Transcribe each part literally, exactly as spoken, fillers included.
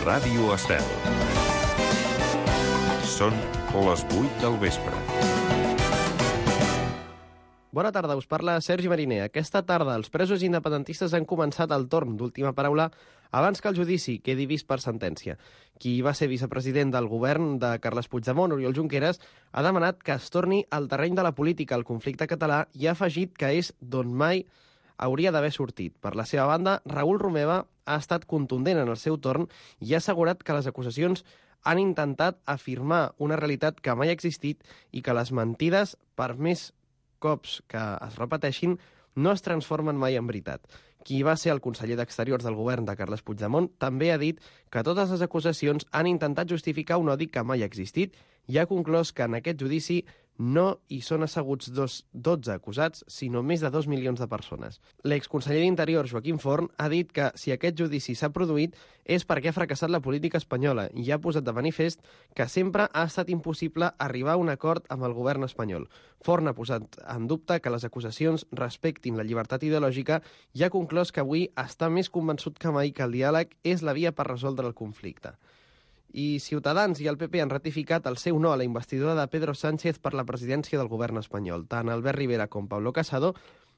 Ràdio Estel. Són les vuit del vespre. Bona tarda, us parla Sergi Mariner. Aquesta tarda els presos independentistes han començat el torn d'última paraula abans que el judici quedi vist per sentència. Qui va ser vicepresident del govern de Carles Puigdemont, Oriol Junqueras, ha demanat que es torni al terreny de la política al conflicte català i ha afegit que és d'on mai hauria d'haver sortit. Per la seva banda, Raül Romeva ha estat contundent en el seu torn i ha assegurat que les acusacions han intentat afirmar una realitat que mai ha existit i que les mentides, per més cops que es repeteixin, no es transformen mai en veritat. Qui va ser el conseller d'Exteriors del govern de Carles Puigdemont també ha dit que totes les acusacions han intentat justificar un odi que mai ha existit i ha conclòs que en aquest judici no hi són asseguts dos, dotze acusats, sinó més de dos milions de persones. L'exconseller d'Interior, Joaquim Forn, ha dit que si aquest judici s'ha produït és perquè ha fracassat la política espanyola i ha posat de manifest que sempre ha estat impossible arribar a un acord amb el govern espanyol. Forn ha posat en dubte que les acusacions respectin la llibertat ideològica i ha conclòs que avui està més convençut que mai que el diàleg és la via per resoldre el conflicte. I Ciutadans i el P P han ratificat el seu no a la investidura de Pedro Sánchez per la presidència del govern espanyol. Tant Albert Rivera com Pablo Casado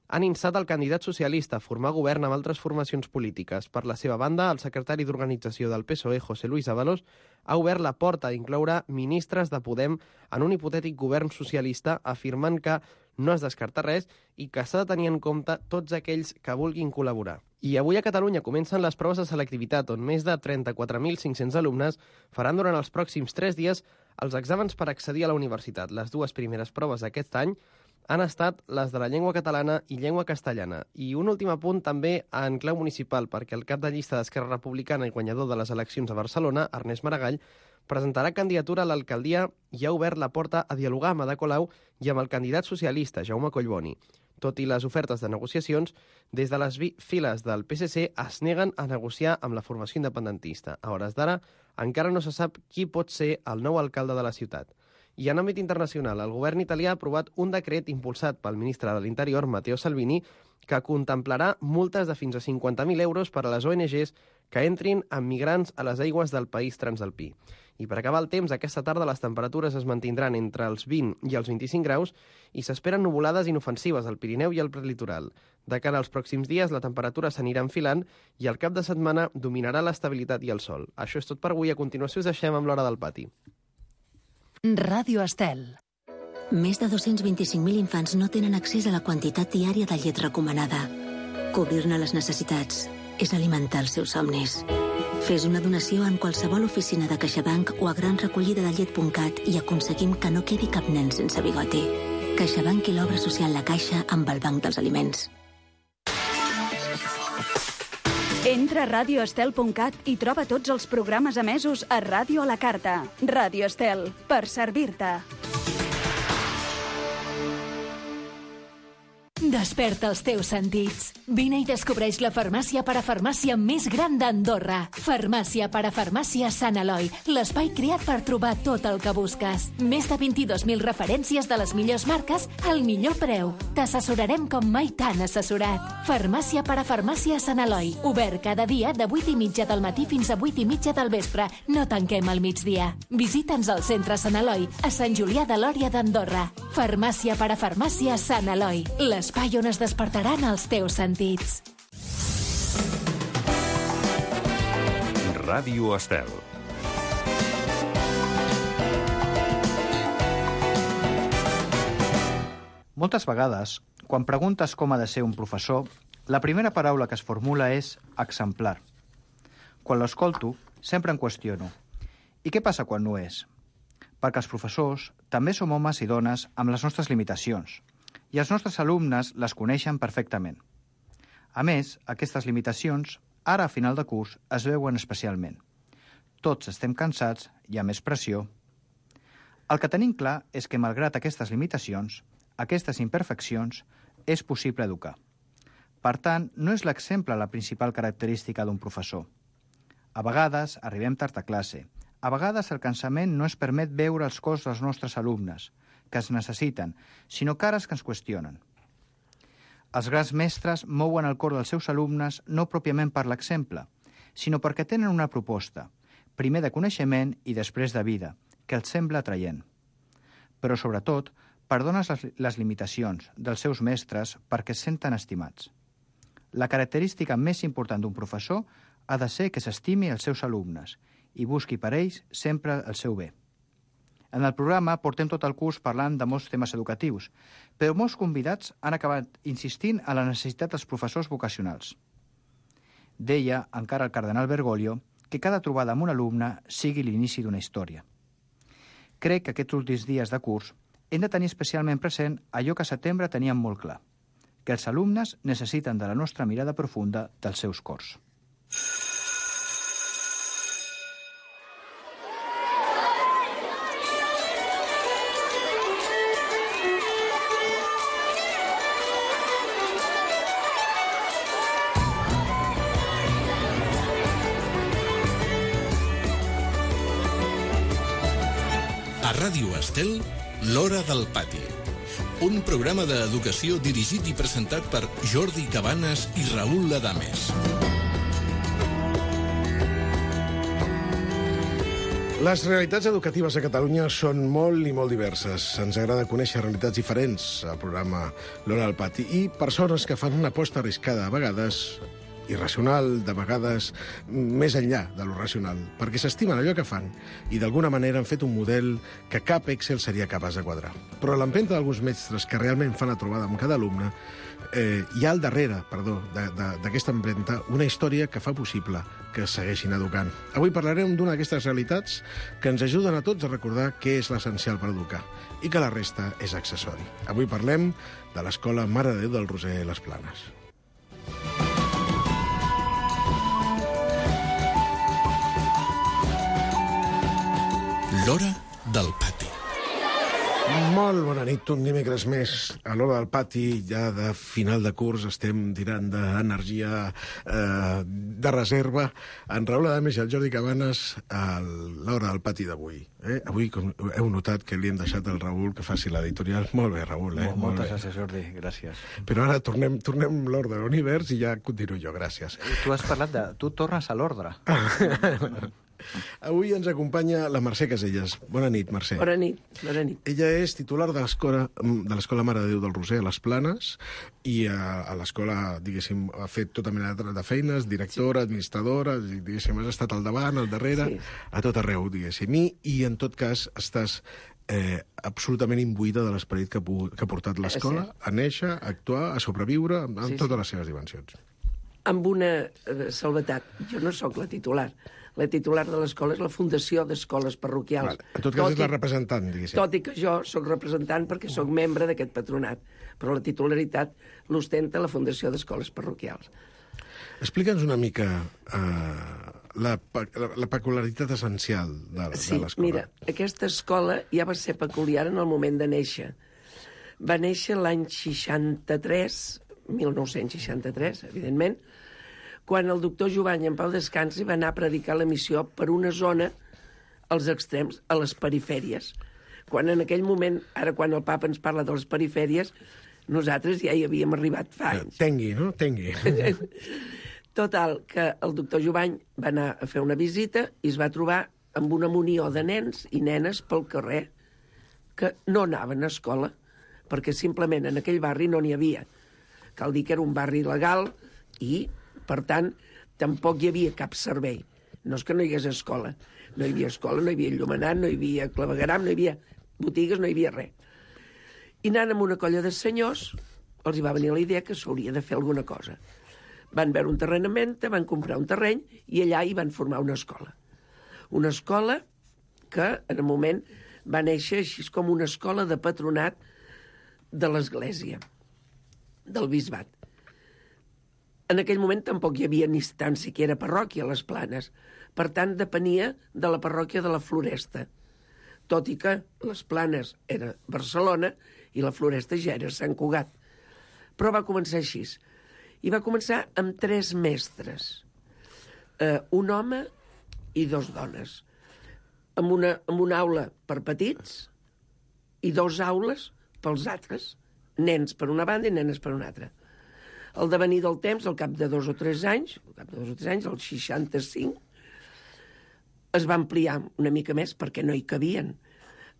han instat el candidat socialista a formar govern amb altres formacions polítiques. Per la seva banda, el secretari d'Organització del P S O E, José Luis Ábalos, ha obert la porta a incloure ministres de Podem en un hipotètic govern socialista, afirmant que no es descarta res i que s'ha de tenir en compte tots aquells que vulguin col·laborar. I avui a Catalunya comencen les proves de selectivitat, on més de trenta-quatre mil cinc-cents alumnes faran durant els pròxims tres dies els exàmens per accedir a la universitat. Les dues primeres proves d'aquest any han estat les de la llengua catalana i llengua castellana. I un últim apunt també en clau municipal, perquè el cap de llista d'Esquerra Republicana i guanyador de les eleccions a Barcelona, Ernest Maragall, presentarà candidatura a l'alcaldia i ha obert la porta a dialogar amb Ada Colau i amb el candidat socialista, Jaume Collboni. Tot i les ofertes de negociacions, des de les files del P S C es neguen a negociar amb la formació independentista. A hores d'ara, encara no se sap qui pot ser el nou alcalde de la ciutat. I en àmbit internacional, el govern italià ha aprovat un decret impulsat pel ministre de l'Interior, Matteo Salvini, que contemplarà multes de fins a cinquanta mil euros per a les O N Ges que entrin amb migrants a les aigües del país transalpí. I per acabar el temps, aquesta tarda les temperatures es mantindran entre els vint i els vint-i-cinc graus i s'esperen nuvolades inofensives al Pirineu i al prelitoral. De cara als pròxims dies, la temperatura s'anirà enfilant i al cap de setmana dominarà l'estabilitat i el sol. Això és tot per avui. A continuació us deixem amb l'Hora del Pati. Ràdio Estel. Més de dos-cents vint-i-cinc mil infants no tenen accés a la quantitat diària de llet recomanada. Cobrir-ne les necessitats és alimentar els seus somnis. Fes una donació en qualsevol oficina de CaixaBank o a gran recollida de llet punt cat i aconseguim que no quedi cap nen sense bigoti. CaixaBank i l'obra social La Caixa amb el Banc dels Aliments. Entra a radio estel punt cat i troba tots els programes emesos a Ràdio a la Carta. Ràdio Estel, per servir-te. Desperta els teus sentits. Vine i descobreix la farmàcia parafarmàcia més gran d'Andorra. Farmàcia parafarmàcia Sant Eloi, l'espai creat per trobar tot el que busques. Més de vint-i-dos mil referències de les millors marques al millor preu. T'assessorarem com mai t'han assessorat. Farmàcia parafarmàcia Sant Eloi, obert cada dia de vuit i mitja del matí fins a vuit i mitja del vespre. No tanquem al migdia. Visita'ns al centre Sant Eloi, a Sant Julià de Lòria d'Andorra. Farmàcia parafarmàcia Sant Eloi, l'espai on es despertaran els teus sentits. Ràdio Estel. Moltes vegades, quan preguntes com ha de ser un professor, la primera paraula que es formula és exemplar. Quan l'escolto, sempre em qüestiono. I què passa quan no és? Perquè els professors també som homes i dones amb les nostres limitacions, i els nostres alumnes les coneixen perfectament. A més, aquestes limitacions, ara a final de curs, es veuen especialment. Tots estem cansats, hi ha més pressió. El que tenim clar és que, malgrat aquestes limitacions, aquestes imperfeccions, és possible educar. Per tant, no és l'exemple la principal característica d'un professor. A vegades arribem tard a classe. A vegades el cansament no es permet veure els cors dels nostres alumnes, que es necessiten, sinó cares que ens qüestionen. Els grans mestres mouen el cor dels seus alumnes no pròpiament per l'exemple, sinó perquè tenen una proposta, primer de coneixement i després de vida, que els sembla atraient. Però, sobretot, perdones les, les limitacions dels seus mestres perquè es senten estimats. La característica més important d'un professor ha de ser que s'estimi els seus alumnes i busqui per ells sempre el seu bé. En el programa portem tot el curs parlant de molts temes educatius, però molts convidats han acabat insistint en la necessitat dels professors vocacionals. Deia, encara el cardenal Bergoglio, que cada trobada amb un alumne sigui l'inici d'una història. Crec que aquests últims dies de curs hem de tenir especialment present allò que a setembre teníem molt clar, que els alumnes necessiten de la nostra mirada profunda dels seus cors. A Ràdio Estel, L'Hora del Pati. Un programa d'educació dirigit i presentat per Jordi Cabanes i Raül Adames. Les realitats educatives a Catalunya són molt i molt diverses. Ens agrada conèixer realitats diferents al programa L'Hora del Pati i persones que fan una aposta arriscada, a vegades irracional, de vegades més enllà de lo racional, perquè s'estimen allò que fan i d'alguna manera han fet un model que cap Excel seria capaç de quadrar. Però a l'empenta d'alguns mestres que realment fan la trobada amb cada alumne, eh, hi ha al darrere, perdó, d'aquesta empenta una història que fa possible que es segueixin educant. Avui parlarem d'una d'aquestes realitats que ens ajuden a tots a recordar què és l'essencial per educar i que la resta és accessori. Avui parlem de l'Escola Mare de Déu del Roser Les Planes. L'Hora del Pati. Molt bona nit, un dimecres més a l'Hora del Pati, ja de final de curs, estem tirant d'energia eh, de reserva. En Raül Adames i el Jordi Cabanes a l'Hora del Pati d'avui. Eh? Avui com heu notat que li hem deixat al Raül que faci l'editorial. Molt bé, Raül. Eh? Molt, moltes gràcies, Jordi, gràcies. Però ara tornem, tornem l'ordre de l'univers i ja continuo jo, gràcies. Tu has parlat de... Tu tornes a l'ordre. Avui ens acompanya la Mercè Caselles. Bona nit, Mercè. Bona nit, bona nit. Ella és titular de l'escola de l'Escola Mare de Déu del Roser a Les Planes i a, a l'escola, diguéssim, ha fet tota mena de, de feines, directora, sí. administradora, diguéssim, has estat al davant, al darrere, sí. a tot arreu, diguéssim. I, i en tot cas estàs eh, absolutament imbuïda de l'esperit que, que ha portat l'escola a néixer, a actuar, a sobreviure, en sí, totes sí. les seves dimensions. Amb una eh, salvetat. Jo no sóc la titular. La titular de l'escola és la Fundació d'Escoles Parroquials. Vale. En tot cas tot és i, la representant, diguéssim. Tot i que jo sóc representant perquè sóc membre d'aquest patronat, però la titularitat l'ostenta la Fundació d'Escoles Parroquials. Explica'ns una mica eh, la, la, la peculiaritat essencial de, sí, de l'escola. Sí, mira, aquesta escola ja va ser peculiar en el moment de néixer. Va néixer l'any seixanta-tres, mil nou-cents seixanta-tres, evidentment, quan el doctor Jovany, en pau descansi, va anar a predicar la missió per una zona als extrems, a les perifèries. Quan en aquell moment, ara quan el papa ens parla de les perifèries, nosaltres ja hi havíem arribat fa anys. Tengui, no? Tengui. Total, que el doctor Jovany va anar a fer una visita i es va trobar amb una munió de nens i nenes pel carrer que no anaven a escola, perquè simplement en aquell barri no n'hi havia. Cal dir que era un barri legal i, per tant, tampoc hi havia cap servei. No és que no hi hagués escola. No hi havia escola, no hi havia enllumenat, no hi havia clavegueram, no hi havia botigues, no hi havia res. I anant amb una colla de senyors, els hi va venir la idea que s'hauria de fer alguna cosa. Van veure un terreny en venda, van comprar un terreny i allà hi van formar una escola. Una escola que, en el moment, va néixer així com una escola de patronat de l'Església, del bisbat. En aquell moment tampoc hi havia ni tan siquiera parròquia a Les Planes. Per tant, depenia de la parròquia de la Floresta. Tot i que Les Planes era Barcelona i la Floresta ja era Sant Cugat. Però va començar així. I va començar amb tres mestres. Eh, un home i dos dones. Amb una, amb una aula per petits i dos aules pels altres. Nens per una banda i nenes per una altra. Al devenir del temps, al cap de dos o tres anys, al cap de dos o tres anys, al seixanta-cinc, es va ampliar una mica més perquè no hi cabien,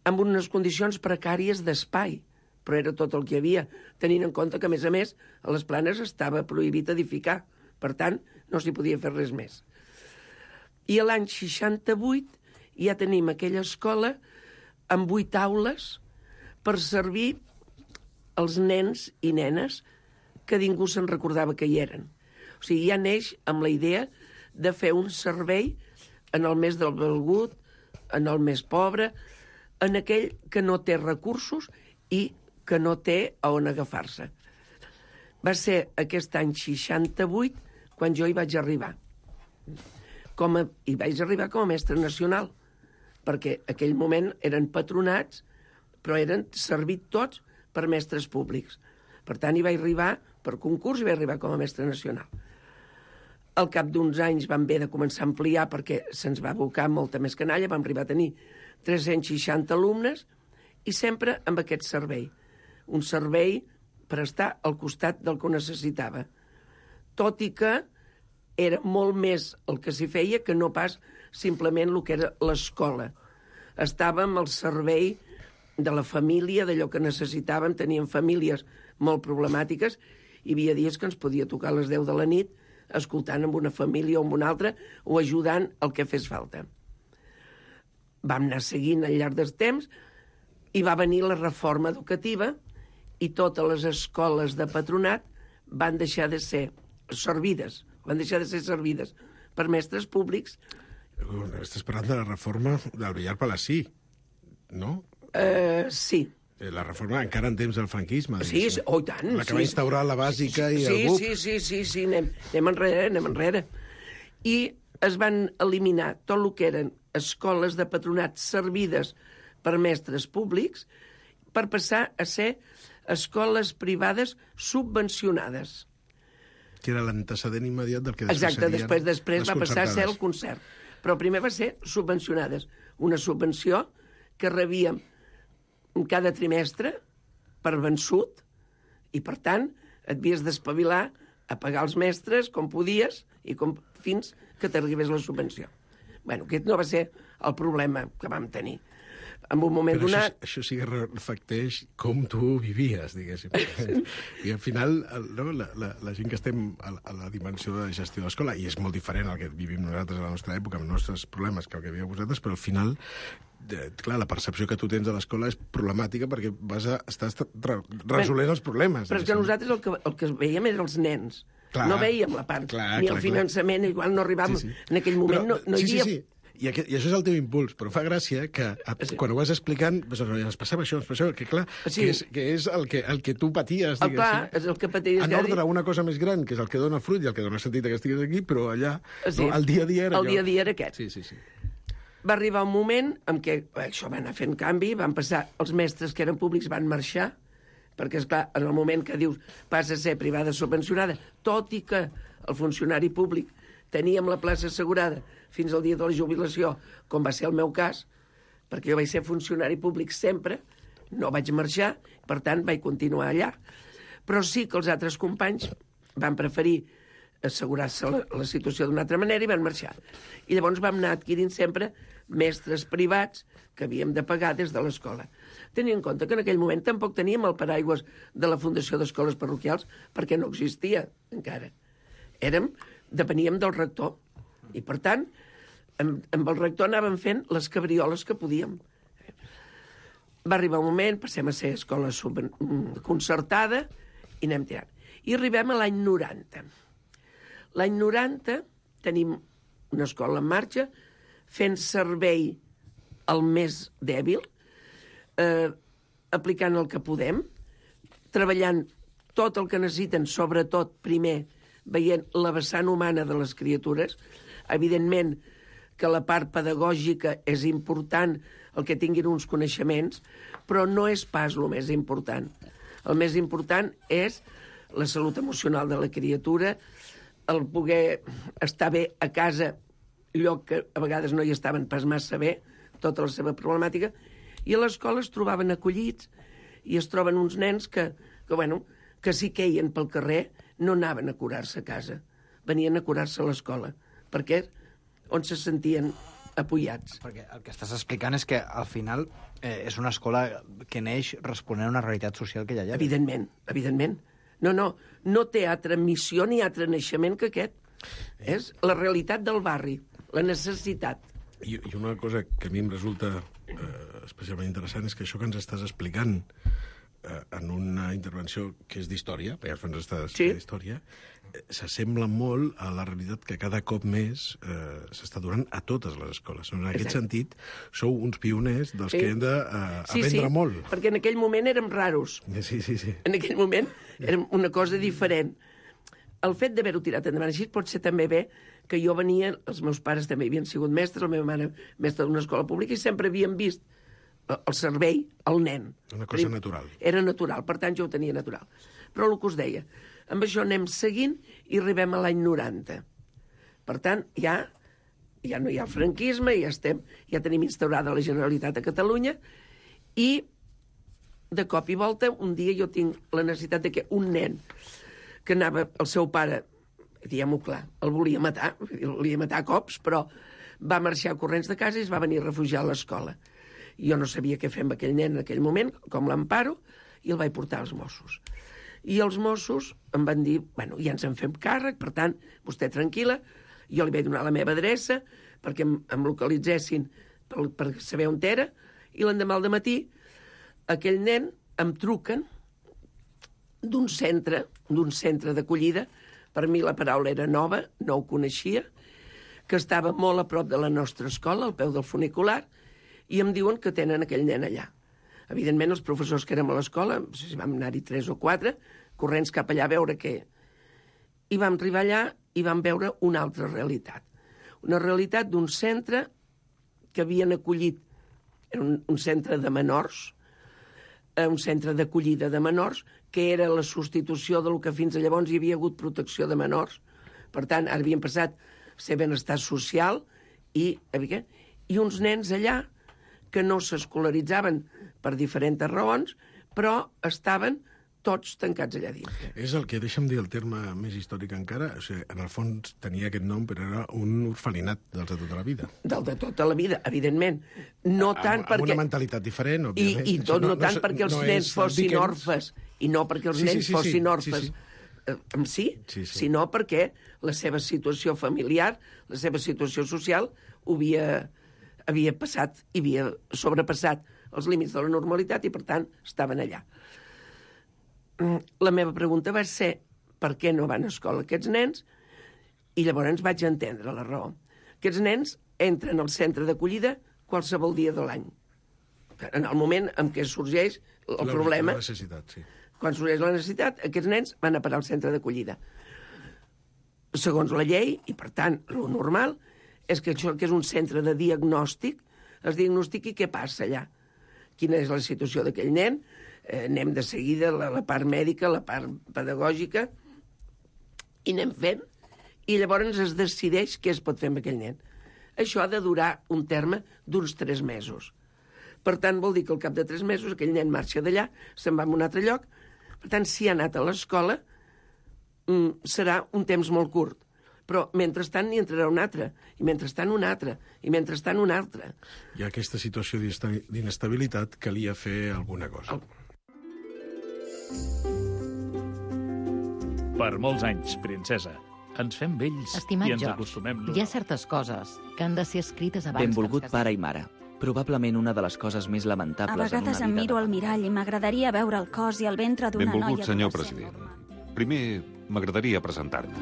amb unes condicions precàries d'espai, però era tot el que hi havia, tenint en compte que, a més a més, a les Planes estava prohibit edificar, per tant, no s'hi podia fer res més. I l'any seixanta-vuit ja tenim aquella escola amb vuit aules per servir els nens i nenes que ningú se'n recordava que hi eren. O sigui, ja neix amb la idea de fer un servei en el més del valgut, en el més pobre, en aquell que no té recursos i que no té a on agafar-se. Va ser aquest any seixanta-vuit quan jo hi vaig arribar. Com a, hi vaig arribar com a mestre nacional, perquè en aquell moment eren patronats, però eren servit tots per mestres públics. Per tant, hi vaig arribar per concurs i vaig arribar com a mestre nacional. Al cap d'uns anys vam haver de començar a ampliar perquè se'ns va abocar molta més canalla, vam arribar a tenir tres-cents seixanta alumnes i sempre amb aquest servei. Un servei per estar al costat del que ho necessitava. Tot i que era molt més el que s'hi feia que no pas simplement el que era l'escola. Estàvem al servei de la família, d'allò que necessitàvem. Teníem famílies molt problemàtiques. Hi havia dies que ens podia tocar a les deu de la nit escoltant amb una família o amb una altra o ajudant el que fes falta. Vam anar seguint al llarg del temps i va venir la reforma educativa i totes les escoles de patronat van deixar de ser servides, van deixar de ser servides per mestres públics. Estàs parlant de la reforma del Villar Palací, no? Uh, sí. La reforma encara en temps del franquisme. Sí, sí, oh, tant. La que sí. va instaurar la bàsica i sí, el B U P. Sí, sí, sí, sí, anem, anem enrere, anem enrere. I es van eliminar tot el que eren escoles de patronat servides per mestres públics per passar a ser escoles privades subvencionades. Que era l'antecedent immediat del que després Exacte, serien després, després les va passar a ser el concertades. concert. Però primer va ser subvencionades. Una subvenció que rebíem cada trimestre per vençut i, per tant, et havies d'espavilar a pagar els mestres com podies i com, fins que t'arribés la subvenció. Bueno, aquest no va ser el problema que vam tenir. En un moment Però donat... Això, això sí que reflecteix com tu vivies, diguéssim. I al final, el, no, la, la, la gent que estem a, a la dimensió de gestió de l'escola, i és molt diferent al que vivim nosaltres a la nostra època, amb els nostres problemes que el que vivíeu vosaltres, però al final, de, clar, la percepció que tu tens de l'escola és problemàtica perquè vas a, estàs re, resolent els problemes. Però és que nosaltres el que, el que veiem eren els nens. Clar, no veiem la part, clar, ni clar, el finançament, clar. Igual no arribàvem. Sí, sí. En aquell moment però, no, no hi havia... Sí, sí, sí. I, aquest, I això és el teu impuls, però fa gràcia que a, sí. quan ho vas explicant doncs, ens passava això, ens passava, que clar, sí. que, és, que és el que, el que tu paties, el clar, és el que paties. En ordre a una cosa més gran, que és el que dona fruit i el que dona sentit que estiguis aquí, però allà, sí. no, el dia a dia era el allò. dia a dia era aquest. Sí, sí, sí. Va arribar un moment en què això va anar fent canvi, van passar, els mestres que eren públics van marxar, perquè, esclar, en el moment que dius passa a ser privada subvencionada, tot i que el funcionari públic teníem la plaça assegurada fins al dia de la jubilació, com va ser el meu cas, perquè jo vaig ser funcionari públic sempre, no vaig marxar, per tant, vaig continuar allà. Però sí que els altres companys van preferir assegurar-se la, la situació d'una altra manera i van marxar. I llavors vam anar adquirint sempre mestres privats que havíem de pagar des de l'escola. Tenint en compte que en aquell moment tampoc teníem el paraigües de la Fundació d'Escoles Parroquials perquè no existia encara. Érem, depeníem del rector. I, per tant, amb, amb el rector anàvem fent les cabrioles que podíem. Va arribar un moment, passem a ser escola sub- concertada i anem tirant. I arribem a l'any noranta. L'any noranta tenim una escola en marxa fent servei al més dèbil, eh, aplicant el que podem, treballant tot el que necessiten, sobretot, primer, veient la vessant humana de les criatures. Evidentment que la part pedagògica és important, el que tinguin uns coneixements, però no és pas el més important. El més important és la salut emocional de la criatura, el poder estar bé a casa, lloc que a vegades no hi estaven pas massa bé, tota la seva problemàtica, i a l'escola es trobaven acollits i es troben uns nens que, que, bueno, que si queien pel carrer no anaven a curar-se a casa, venien a curar-se a l'escola, perquè on se sentien apoyats. Perquè el que estàs explicant és que, al final, eh, és una escola que neix responent a una realitat social que ja hi ha. Evidentment, evidentment. No, no, no té altra missió ni altre naixement que aquest. És la realitat del barri, la necessitat. I, i una cosa que a mi em resulta eh, especialment interessant és que això que ens estàs explicant eh, en una intervenció que és d'història, perquè ens estàs Sí. d'història, eh, s'assembla molt a la realitat que cada cop més eh, s'està donant a totes les escoles. En aquest Exacte. sentit, sou uns pioners dels Sí. que hem d'aprendre Sí, sí, molt. perquè en aquell moment érem raros. Sí, sí, sí. En aquell moment era una cosa diferent. El fet d'haver-ho tirat endavant així pot ser també bé que jo venia, els meus pares també havien sigut mestres, la meva mare mestra d'una escola pública, i sempre havien vist el servei al nen. Una cosa natural. Era natural, per tant jo ho tenia natural. Però el que us deia, amb això anem seguint i arribem a l'any noranta. Per tant, ja, ja no hi ha franquisme, ja, estem, ja tenim instaurada la Generalitat a Catalunya, i de cop i volta, un dia jo tinc la necessitat de que un nen que anava, el seu pare, diguem-ho clar, el volia matar, el volia matar a cops, però va marxar corrents de casa i es va venir a refugiar a l'escola. Jo no sabia què fer amb aquell nen en aquell moment, com l'emparo, i el vaig portar als Mossos. I els Mossos em van dir, bueno, ja ens en fem càrrec, per tant, vostè tranquil·la, jo li vaig donar la meva adreça perquè em, em localitzessin per, per saber on era, i l'endemà al dematí aquell nen em truquen d'un centre, d'un centre d'acollida, per mi la paraula era nova, no ho coneixia, que estava molt a prop de la nostra escola, al peu del funicular, i em diuen que tenen aquell nen allà. Evidentment, els professors que érem a l'escola, no sé si vam anar-hi tres o quatre, corrents cap allà a veure què. I vam arribar allà i vam veure una altra realitat. Una realitat d'un centre que havien acollit, era un, un centre de menors, un centre d'acollida de menors, que era la substitució del que fins a llavors hi havia hagut protecció de menors. Per tant, ara havien passat a ser benestar social i, i uns nens allà que no s'escolaritzaven per diferents raons, però estaven tots tancats allà dins. És el que, deixa'm dir el terme més històric encara, o sigui, en el fons tenia aquest nom, però era un orfelinat dels de tota la vida. Del de tota la vida, evidentment. No amb, tant amb perquè... Amb una mentalitat diferent, I, òbviament. i tot no, no, no tant no, perquè els no nens fossin Dickens. orfes, i no perquè els Sí, sí, nens sí, sí, fossin sí, orfes, sí. Eh, amb sí, Sí, sí. sinó perquè la seva situació familiar, la seva situació social, ho havia, havia passat i havia sobrepassat els límits de la normalitat i, per tant, estaven allà. La meva pregunta va ser per què no van a escola aquests nens, i llavors vaig entendre la raó. Aquests nens entren al centre d'acollida qualsevol dia de l'any. En el moment en què sorgeix el la, problema, La necessitat, sí. quan sorgeix la necessitat, aquests nens van a parar al centre d'acollida. Segons la llei, i per tant, el normal, és que això que és un centre de diagnòstic, es diagnostiqui què passa allà. Quina és la situació d'aquell nen, eh, anem de seguida la, la part mèdica, la part pedagògica, i anem fent, i llavors es decideix què es pot fer amb aquell nen. Això ha de durar un terme d'uns tres mesos. Per tant, vol dir que al cap de tres mesos aquell nen marxa d'allà, se'n va a un altre lloc. Per tant, si ha anat a l'escola, mm, serà un temps molt curt. Però, mentrestant, n'hi entrarà un altre, i mentrestant un altre, i mentrestant un altre. Hi ha aquesta situació d'inestabilitat, calia fer alguna cosa. Per molts anys, princesa. Ens fem vells Estimat i ens George, acostumem... hi ha certes coses que han de ser escrites abans Benvolgut que ens casem. pare i mare. Probablement una de les coses més A lamentables en una vegades em vida miro de al mirall i m'agradaria veure el cos i el ventre d'una noia... Benvolgut, senyor adolescent president. normal. Primer, m'agradaria presentar-me.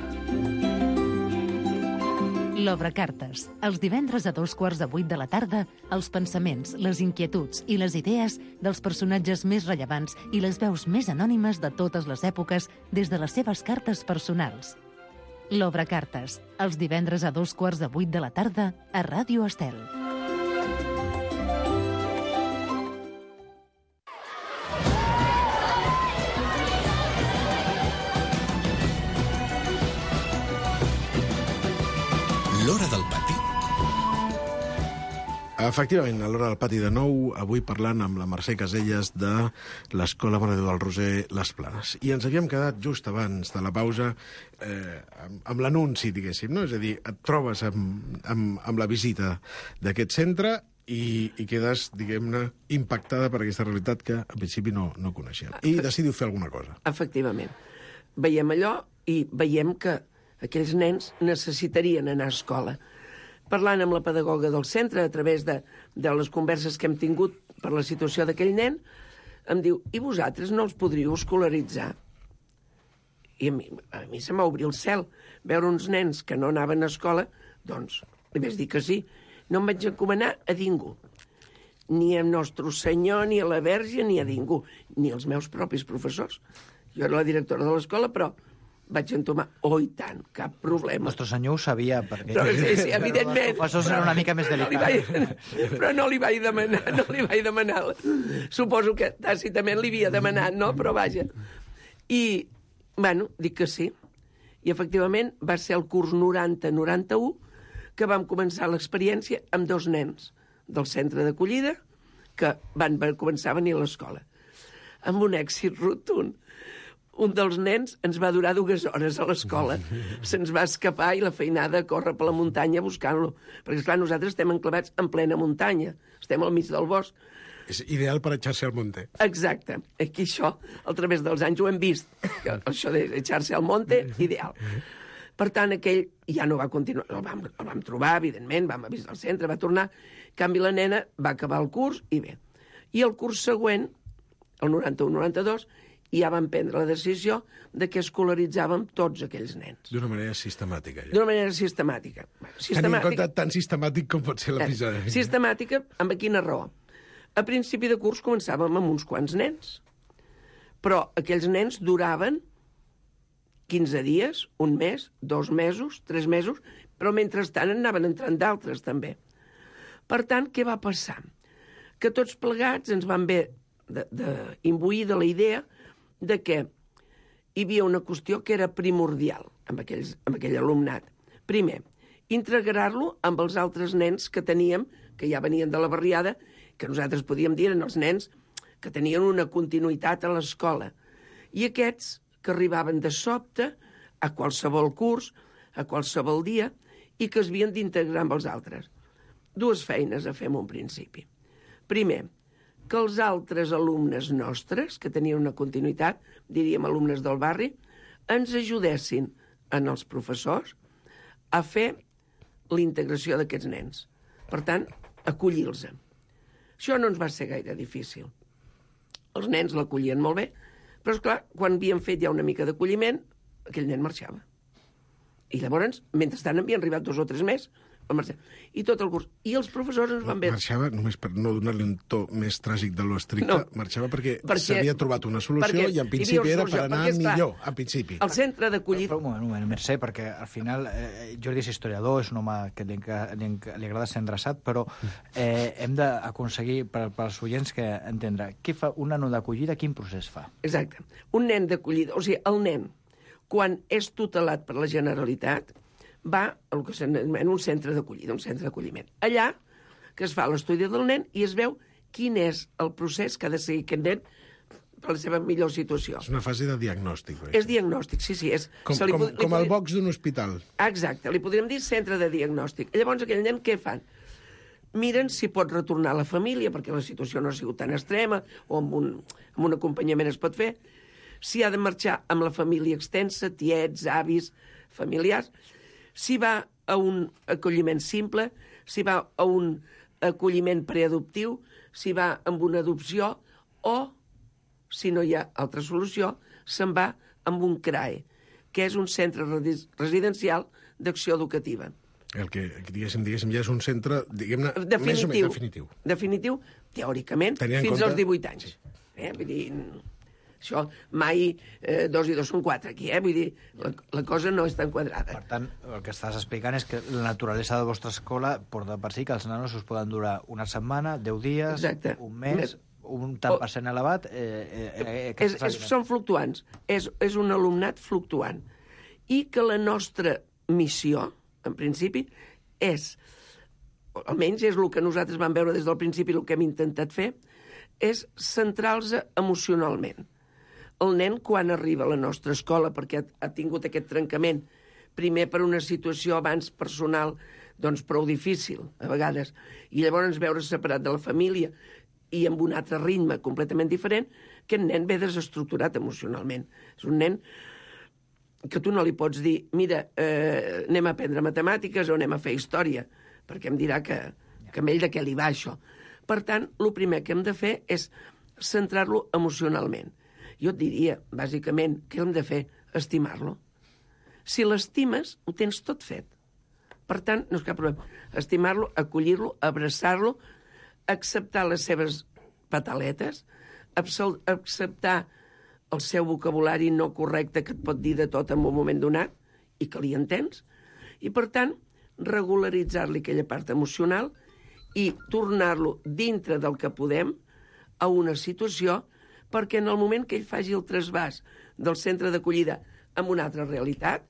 L'Obrecartes. Els divendres a dos quarts de vuit de la tarda, els pensaments, les inquietuds i les idees dels personatges més rellevants i les veus més anònimes de totes les èpoques des de les seves cartes personals. L'Obrecartes. Els divendres a dos quarts de vuit de la tarda a Ràdio Estel. L'Hora del Pati Efectivament, a l'Hora del Pati de nou, avui parlant amb la Mercè Caselles de l'Escola Mare de Déu del Roser Les Planes. I ens havíem quedat just abans de la pausa eh, amb, amb l'anunci, diguéssim, no? És a dir, et trobes amb, amb, amb la visita d'aquest centre i, i quedes, diguem-ne, impactada per aquesta realitat que en principi no, no coneixem. I decidiu fer alguna cosa. Efectivament. Veiem allò i veiem que aquells nens necessitarien anar a escola. Parlant amb la pedagoga del centre, a través de, de les converses que hem tingut per la situació d'aquell nen, em diu, i vosaltres no els podríeu escolaritzar? I a mi, a mi se m'ha obrit el cel. Veure uns nens que no anaven a escola, doncs, li vaig dir que sí. No em vaig encomanar a ningú. Ni a Nostre Senyor, ni a la Verge, ni a ningú. Ni als meus propis professors. Jo era la directora de l'escola, però vaig entomar, oh, i tant, cap problema. Nostre Senyor ho sabia, perquè... Però, sí, sí, evidentment. Els professors eren una mica més delicats. No vaig, però no li vaig demanar, no li vaig demanar. Suposo que tàcitament li havia demanat, no? Però vaja. I, bueno, dic que sí. I, efectivament, va ser el curs noranta noranta-u que vam començar l'experiència amb dos nens del centre d'acollida que van començar a venir a l'escola. Amb un èxit rotund. Un dels nens ens va durar dues hores a l'escola. Se'ns va escapar i la feinada a córrer per la muntanya buscant-lo. Perquè, esclar, nosaltres estem enclavats en plena muntanya. Estem al mig del bosc. És ideal per echar-se al monte. Exacte. Aquí això, a través dels anys, ho hem vist. Que això d'echar-se al monte, ideal. Per tant, aquell ja no va continuar. El vam, el vam trobar, evidentment, vam avisar al centre, va tornar. En canvi, la nena va acabar el curs i bé. I el curs següent, el noranta-u noranta-dos, i ja vam prendre la decisió de que escolaritzàvem tots aquells nens. D'una manera sistemàtica. Ja. D'una manera sistemàtica. sistemàtica. Tenint en compte tan sistemàtic com pot ser l'episodi. Eh, sistemàtica, amb quina raó? A principi de curs començàvem amb uns quants nens, però aquells nens duraven quinze dies, un mes, dos mesos, tres mesos, però mentrestant en anaven entrant d'altres també. Per tant, què va passar? Que tots plegats ens vam haver d'imbuir de la idea de que hi havia una qüestió que era primordial amb, aquells, amb aquell alumnat. Primer, integrar-lo amb els altres nens que teníem, que ja venien de la barriada, que nosaltres podíem dir eren els nens que tenien una continuïtat a l'escola. I aquests que arribaven de sobte a qualsevol curs, a qualsevol dia, i que es havien d'integrar amb els altres. Dues feines a fer en un principi. Primer, que els altres alumnes nostres, que tenien una continuïtat, diríem alumnes del barri, ens ajudessin en els professors a fer la integració d'aquests nens. Per tant, acollir-los. Això no ens va ser gaire difícil. Els nens l'acollien molt bé, però, esclar, quan havíem fet ja una mica d'acolliment, aquell nen marxava. I llavors, mentrestant, havien arribat dos o tres més, i tot el curs. I els professors ens van veure... Marxava, només per no donar-li un to més tràgic de lo estricte, no, marxava perquè, perquè s'havia trobat una solució i en principi era per anar perquè, millor, en principi. El centre d'acollida... Un moment, un moment, Mercè, perquè al final eh, Jordi és historiador, és un home que li, li, li agrada ser endreçat, però eh, hem d'aconseguir, per, per als oients, que entendre què fa un nano d'acollida, quin procés fa? Exacte. Un nen d'acollida, o sigui, el nen, quan és tutelat per la Generalitat, va a que s'anomena un centre d'acollida, un centre d'acolliment. Allà que es fa l'estudi del nen i es veu quin és el procés que ha de seguir aquest nen per la seva millor situació. És una fase de diagnòstic. Oi? És diagnòstic, sí, sí. És, com com, com podri... el box d'un hospital. Exacte, li podríem dir centre de diagnòstic. Llavors aquell nen què fan? Miren si pot retornar a la família, perquè la situació no ha sigut tan extrema, o amb un, amb un acompanyament es pot fer, si ha de marxar amb la família extensa, tiets, avis, familiars, si va a un acolliment simple, si va a un acolliment preadoptiu, si va amb una adopció o, si no hi ha altra solució, se'n va amb un C R A E, que és un centre residencial d'acció educativa. El que, diguéssim, diguéssim, ja és un centre, diguem-ne, definitiu, més o menys definitiu. Definitiu, teòricament, Tenia fins compte... als divuit anys. Sí. Eh? Vull dir... Això, mai eh, dos i dos són quatre, aquí, eh? Vull dir, la, la cosa no és tan quadrada. Per tant, el que estàs explicant és que la naturalesa de la vostra escola porta per si que els nanos us poden durar una setmana, deu dies, exacte, un mes, un tant per cent elevat... Eh, eh, eh, és, és, són fluctuants, és, és un alumnat fluctuant. I que la nostra missió, en principi, és almenys és el que nosaltres vam veure des del principi, el que hem intentat fer, és centrar-los emocionalment. El nen, quan arriba a la nostra escola, perquè ha, ha tingut aquest trencament, primer per una situació abans personal, doncs prou difícil, a vegades, i llavors veure's separat de la família i amb un altre ritme completament diferent, que el nen ve desestructurat emocionalment. És un nen que tu no li pots dir, mira, eh, anem a aprendre matemàtiques o anem a fer història, perquè em dirà que, que a ell de què li va això. Per tant, el primer que hem de fer és centrar-lo emocionalment. Jo et diria, bàsicament, què hem de fer? Estimar-lo. Si l'estimes, ho tens tot fet. Per tant, no és cap problema. Estimar-lo, acollir-lo, abraçar-lo, acceptar les seves pataletes, acceptar el seu vocabulari no correcte que et pot dir de tot en un moment donat i que li entens, i, per tant, regularitzar-li aquella part emocional i tornar-lo dintre del que podem a una situació perquè en el moment que ell faci el trasbàs del centre d'acollida amb una altra realitat,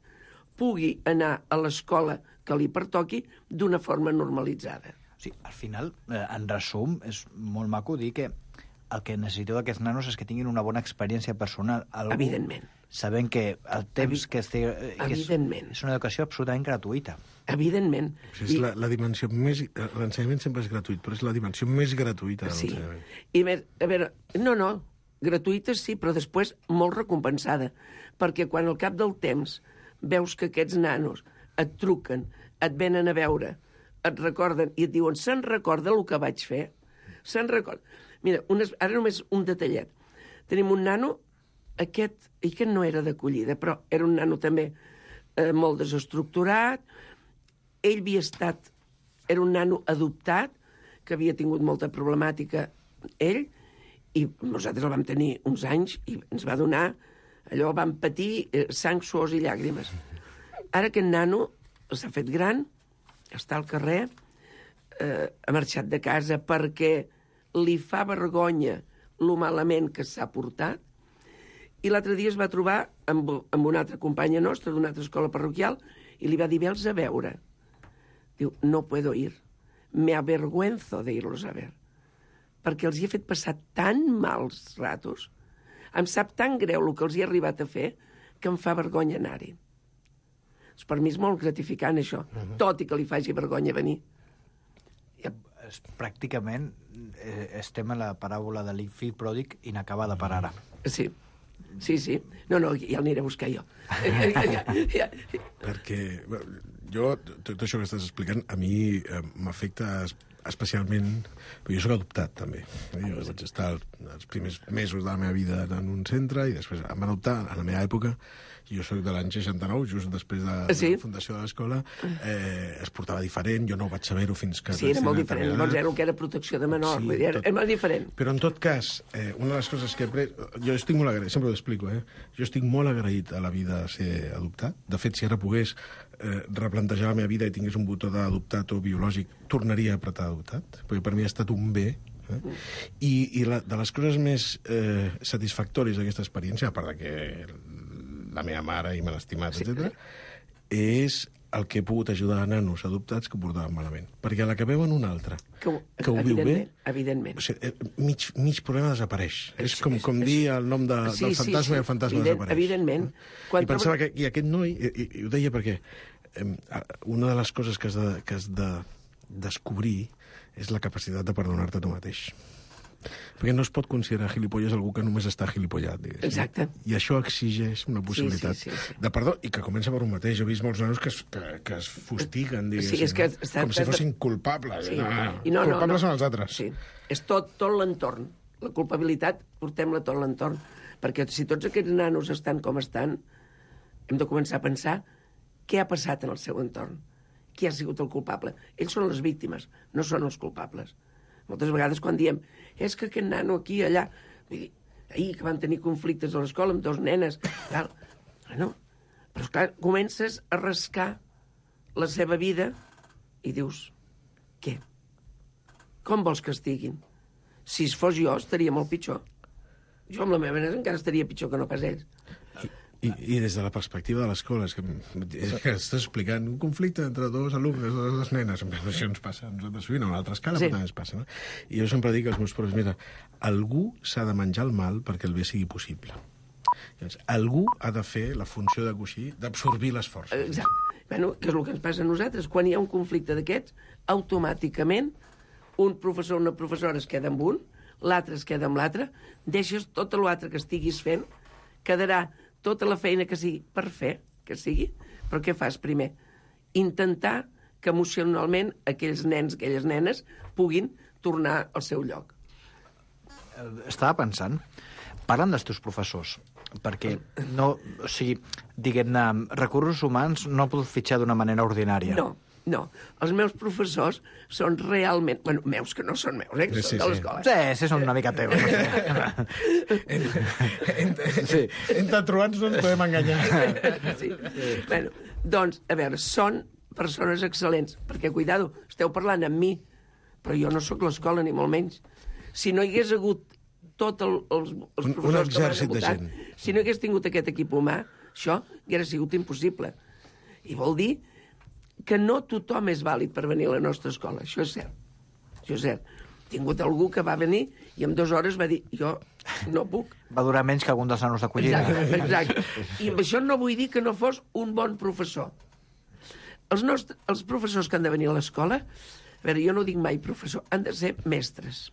pugui anar a l'escola que li pertoqui d'una forma normalitzada. Sí, al final, eh, en resum, és molt maco dir que el que necessiteu d'aquests nanos és que tinguin una bona experiència personal. Algú, Evidentment. Sabent que el temps que, estigui, que és, és una educació absolutament gratuïta. Evidentment. O sigui, és la, la dimensió més... L'ensenyament sempre és gratuït, però és la dimensió més gratuïta de sí. l'ensenyament. I a veure, a veure, no, no, gratuïta sí, però després molt recompensada, perquè quan al cap del temps veus que aquests nanos et truquen, et venen a veure, et recorden i et diuen, se'n recorda el que vaig fer? Se'n recorda... Mira, unes, ara només un detallet. Tenim un nano, aquest, i que no era d'acollida, però era un nano també eh, molt desestructurat. Ell havia estat, era un nano adoptat, que havia tingut molta problemàtica ell, i nosaltres el vam tenir uns anys i ens va donar, allò vam patir eh, sang, suors i llàgrimes. Ara aquest nano s'ha fet gran, està al carrer, eh, ha marxat de casa perquè li fa vergonya lo malament que s'ha portat, i l'altre dia es va trobar amb, amb una altra companya nostra d'una altra escola parroquial i li va dir, vels a veure. Diu, no puedo ir, me avergüenzo de irlos a ver, perquè els hi he fet passar tan mals ratos, em sap tan greu el que els hi he arribat a fer, que em fa vergonya anar-hi. Per mi és molt gratificant això, uh-huh. tot i que li faci vergonya venir. És, pràcticament eh, estem a la paràbola de l'infill pròdig inacabada per ara. Sí, sí, sí. No, no, ja l'aniré a buscar jo. Perquè jo, tot això que estàs explicant, a mi eh, m'afecta especialment... Jo soc adoptat, també. Jo vaig estar els primers mesos de la meva vida en un centre i després em van adoptar a la meva època. Jo soc de l'any seixanta-nou, just després de, sí? de la fundació de l'escola. Eh, es portava diferent, jo no ho vaig saber-ho fins que... Sí, era molt diferent. Llavors era el que era protecció de menor. Sí, era, tot... era molt diferent. Però en tot cas, eh, una de les coses que he après... Jo estic molt agraït, sempre ho explico, eh? Jo estic molt agraït a la vida de ser adoptat. De fet, si ara pogués eh, replantejar la meva vida i tingués un botó d'adoptat o biològic, tornaria a apretar adoptat, perquè per mi ha estat un bé. Eh? I, i la, de les coses més eh, satisfactòries d'aquesta experiència, a part de que la meva mare i me l'ha estimat, sí. etcètera, és el que he pogut ajudar a nanos adoptats que ho portaven malament. Perquè a la que veuen un altre, que ho, que ho viu bé, evidentment. O sigui, mig, mig problema desapareix. És com, com dir el nom de, sí, del fantasma sí, sí. i el fantasma Evident, desapareix. Evidentment. Quan I pensava trobo... que i aquest noi, i, i, i ho deia perquè eh, una de les coses que has de, que has de descobrir és la capacitat de perdonar-te a tu mateix. Perquè no es pot considerar gilipolles algú que només està gilipollat, diguéssim. Exacte. I això exigeix una possibilitat sí, sí, sí, sí. de perdó, i que comença per un mateix. He vist molts nanos que es, que, que es fustiguen, diguéssim, sí, és que no? està, com si fossin culpables. Sí. No, no. I no, culpables no, no. són els altres. Sí. És tot, tot l'entorn. La culpabilitat, portem-la tot l'entorn. Perquè si tots aquests nanos estan com estan, hem de començar a pensar què ha passat en el seu entorn. Qui ha sigut el culpable? Ells són les víctimes, no són els culpables. Moltes vegades quan diem és que aquest nano aquí, allà... Vull dir, ahir que van tenir conflictes a l'escola amb dos nenes, tal... Bueno, però esclar, comences a rascar la seva vida i dius, què? Com vols que estiguin? Si fos jo, estaria molt pitjor. Jo amb la meva nena encara estaria pitjor que no pas ells. I, I, I des de la perspectiva de l'escola, és que, és que estàs explicant un conflicte entre dos alumnes, dues nenes, això ens passa a nosaltres sovint, a una altra escala, sí. Però també ens passa, no? I jo sempre dic als meus professors, mira, algú s'ha de menjar el mal perquè el bé sigui possible. Llavors, algú ha de fer la funció de coixí, d'absorbir les forces. Exacte. Bueno, que és el que ens passa a nosaltres. Quan hi ha un conflicte d'aquests, automàticament un professor o una professora es queda amb un, l'altre es queda amb l'altre, deixes tot l'altre que estiguis fent, quedarà tota la feina que sigui per fer, que sigui, però què fas primer? Intentar que emocionalment aquells nens, aquelles nenes, puguin tornar al seu lloc. Estava pensant, parlen dels teus professors, perquè no, o sigui, diguem-ne, recursos humans no poden fitxar d'una manera ordinària. No, no. Els meus professors són realment... Bueno, meus que no són meus, eh? Que sí, són de sí. l'escola. Sí, sí, són una mica teus. Sí. Entre truans no ens podem enganyar. Sí. Bueno, doncs, a veure, són persones excel·lents, perquè, cuidado, esteu parlant amb mi, però jo no sóc l'escola, ni molt menys. Si no hi hagués hagut tots el, els, els professors que m'han votat, si no hagués tingut aquest equip humà, això hauria sigut impossible. I vol dir que no tothom és vàlid per venir a la nostra escola. Això és cert. Això és cert. He tingut algú que va venir i en dues hores va dir, jo no puc. Va durar menys que algun dels nanos d'acollida. Exacte, exacte. I amb això no vull dir que no fos un bon professor. Els, nostres, els professors que han de venir a l'escola, a veure, jo no dic mai professor, han de ser mestres.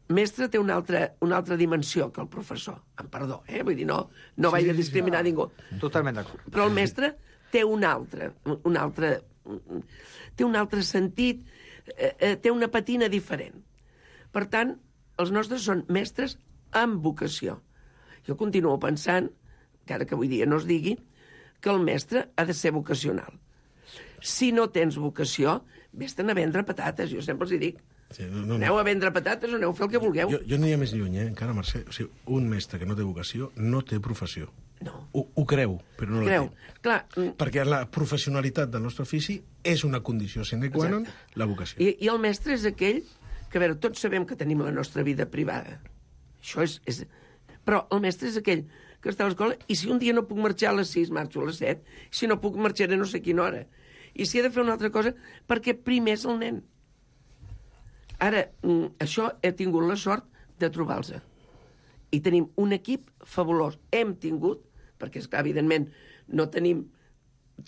Mestre té una altra, una altra dimensió que el professor. Em perdó, eh? Vull dir, no, no sí, vaig a discriminar sí, sí. ningú. Totalment d'acord. Però el mestre té un altre, un altre, té un altre sentit, eh, té una patina diferent. Per tant, els nostres són mestres amb vocació. Jo continuo pensant, encara que avui dia no es digui, que el mestre ha de ser vocacional. Si no tens vocació, vés-te'n a vendre patates, jo sempre els hi dic. Sí, no, no, aneu a vendre patates o aneu a fer el que vulgueu. Jo, jo aniria més lluny, eh, encara, Mercè. O sigui, un mestre que no té vocació no té professió. No. Ho, ho creu, però no creu. la té. Clar. Perquè la professionalitat del nostre ofici és una condició sine qua non, la vocació. I, I el mestre és aquell que, a veure, tots sabem que tenim la nostra vida privada. Això és... és... Però el mestre és aquell que està a l'escola i si un dia no puc marxar a les sis, marxo a les set. Si no puc, marxaré no sé quina hora. I si he de fer una altra cosa, perquè primer és el nen. Ara, això he tingut la sort de trobar-los. I tenim un equip fabulós. Hem tingut, perquè, esclar, evidentment, no tenim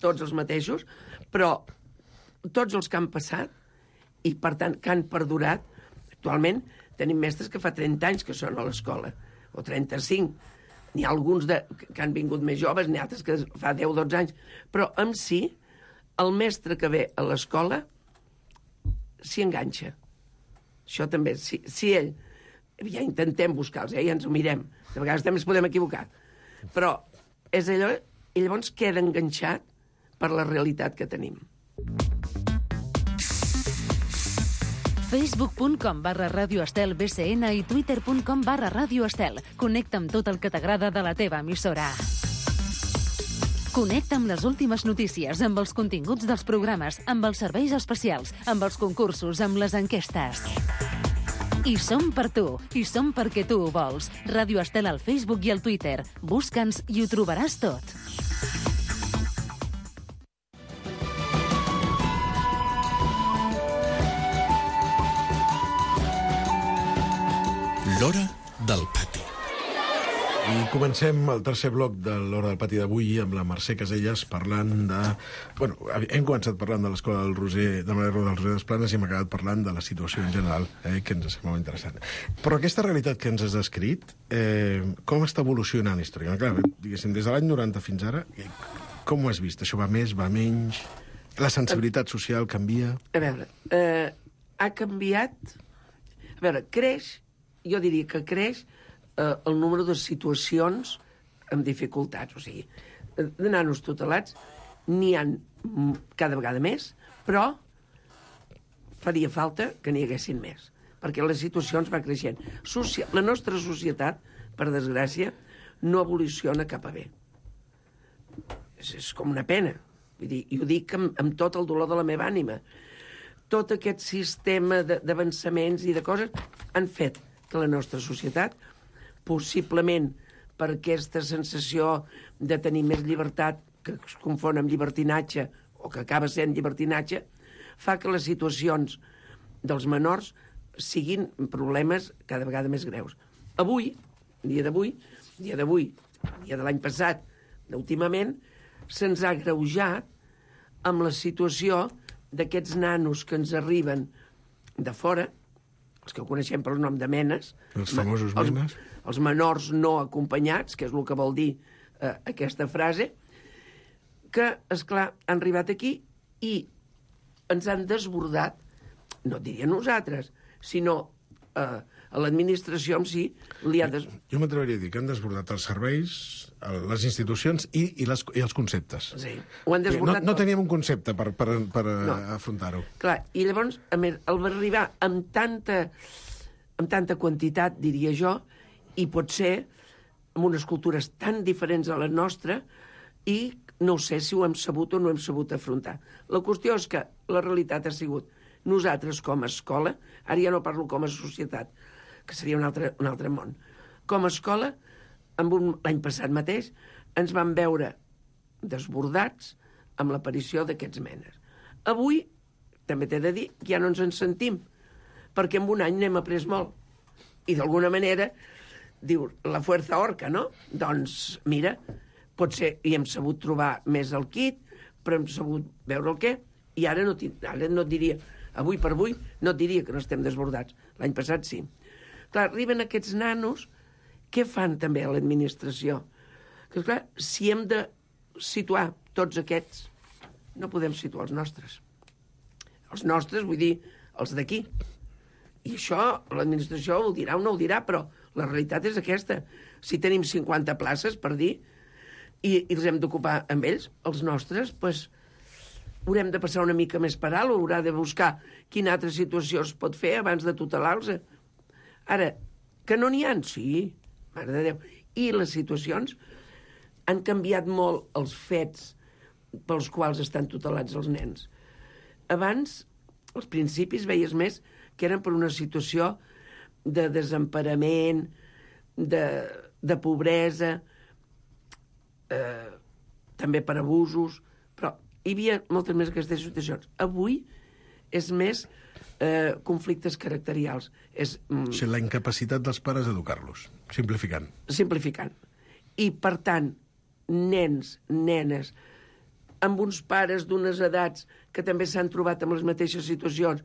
tots els mateixos, però tots els que han passat i, per tant, que han perdurat, actualment tenim mestres que fa trenta anys que són a l'escola, o trenta-cinc. N'hi ha alguns de, que han vingut més joves, n'hi ha altres que fa deu o dotze anys. Però, en si, el mestre que ve a l'escola s'hi enganxa. Això també, si, si ell... Ja intentem buscar-los, eh? Ja ens ho mirem. De vegades també ens podem equivocar. Però és allò... I llavors queda enganxat per la realitat que tenim. facebook punt com barra Ràdio Estel B C N i twitter punt com barra Ràdio Estel. Connecta amb tot el que t'agrada de la teva emissora. Connecta amb les últimes notícies, amb els continguts dels programes, amb els serveis especials, amb els concursos, amb les enquestes. I som per tu, i som perquè tu ho vols. Ràdio Estel al Facebook i al Twitter. Busca'ns i ho trobaràs tot. L'Hora del Pati. I comencem el tercer bloc de l'Hora del Pati d'avui amb la Mercè Caselles parlant de... Bueno, hem començat parlant de l'Escola del Roser, de Maria del Roser d'Esplanes i hem acabat parlant de la situació en general, eh, que ens sembla molt interessant. Però aquesta realitat que ens has descrit, eh, com està evolucionant històricament? Clar, diguéssim, des de l'any noranta fins ara, com ho has vist? Això va més, va menys? La sensibilitat social canvia? A veure, eh, ha canviat... A veure, creix, jo diria que creix eh, el número de situacions amb dificultats. O sigui, de nanos tutelats n'hi ha cada vegada més, però faria falta que n'hi haguessin més, perquè les situacions van creixent. Socia... La nostra societat, per desgràcia, no evoluciona cap a bé. És, és com una pena. Vull dir, i ho dic amb, amb tot el dolor de la meva ànima. Tot aquest sistema d'avançaments i de coses han fet que la nostra societat, possiblement per aquesta sensació de tenir més llibertat, que es confon amb llibertinatge, o que acaba sent llibertinatge, fa que les situacions dels menors siguin problemes cada vegada més greus. Avui, dia d'avui, dia d'avui, dia de l'any passat, d'últimament, se'ns ha greujat amb la situació d'aquests nanos que ens arriben de fora, els que coneixem pel nom de menes, els famosos els, menes, els menors no acompanyats, que és el que vol dir eh, aquesta frase, que, esclar, han arribat aquí i ens han desbordat, no et diria nosaltres, sinó eh, a l'administració en si li ha des... Jo m'atreviria a dir que han desbordat els serveis, les institucions i, i, les, i els conceptes. Sí, ho han desbordat. No, no teníem un concepte per, per, per no. afrontar-ho. Clar, i llavors, a més, el va arribar amb tanta, amb tanta quantitat, diria jo, i pot ser amb unes cultures tan diferents a la nostra, i no sé si ho hem sabut o no hem sabut afrontar. La qüestió és que la realitat ha sigut nosaltres com a escola, ara ja no parlo com a societat, que seria un altre, un altre món. Com a escola, amb un, l'any passat mateix, ens vam veure desbordats amb l'aparició d'aquests menes. Avui, també t'he de dir, ja no ens en sentim, perquè en un any n'hem après molt. I d'alguna manera, diu, la fuerza orca, no? Doncs, mira, potser hi hem sabut trobar més el kit, però hem sabut veure el què, i ara no, ara no et diria, avui per avui, no et diria que no estem desbordats. L'any passat sí. Clar, arriben aquests nanos, què fan també a l'administració? Que, clar, si hem de situar tots aquests, no podem situar els nostres. Els nostres, vull dir, els d'aquí. I això, l'administració ho dirà o no ho dirà, però la realitat és aquesta. Si tenim cinquanta places, per dir, i, i els hem d'ocupar amb ells, els nostres, doncs, haurem de passar una mica més per alt, o haurà de buscar quina altra situació es pot fer abans de tutelar-los. Ara, que no n'hi ha? Sí, mare de Déu. I les situacions han canviat molt els fets pels quals estan tutelats els nens. Abans, als principis, veies més que eren per una situació de desemparament, de, de pobresa, eh, també per abusos, però hi havia moltes més aquestes situacions. Avui és més eh, conflictes caracterials. És, mm, o sigui, la incapacitat dels pares d'educar-los, simplificant. Simplificant. I, per tant, nens, nenes, amb uns pares d'unes edats que també s'han trobat en les mateixes situacions,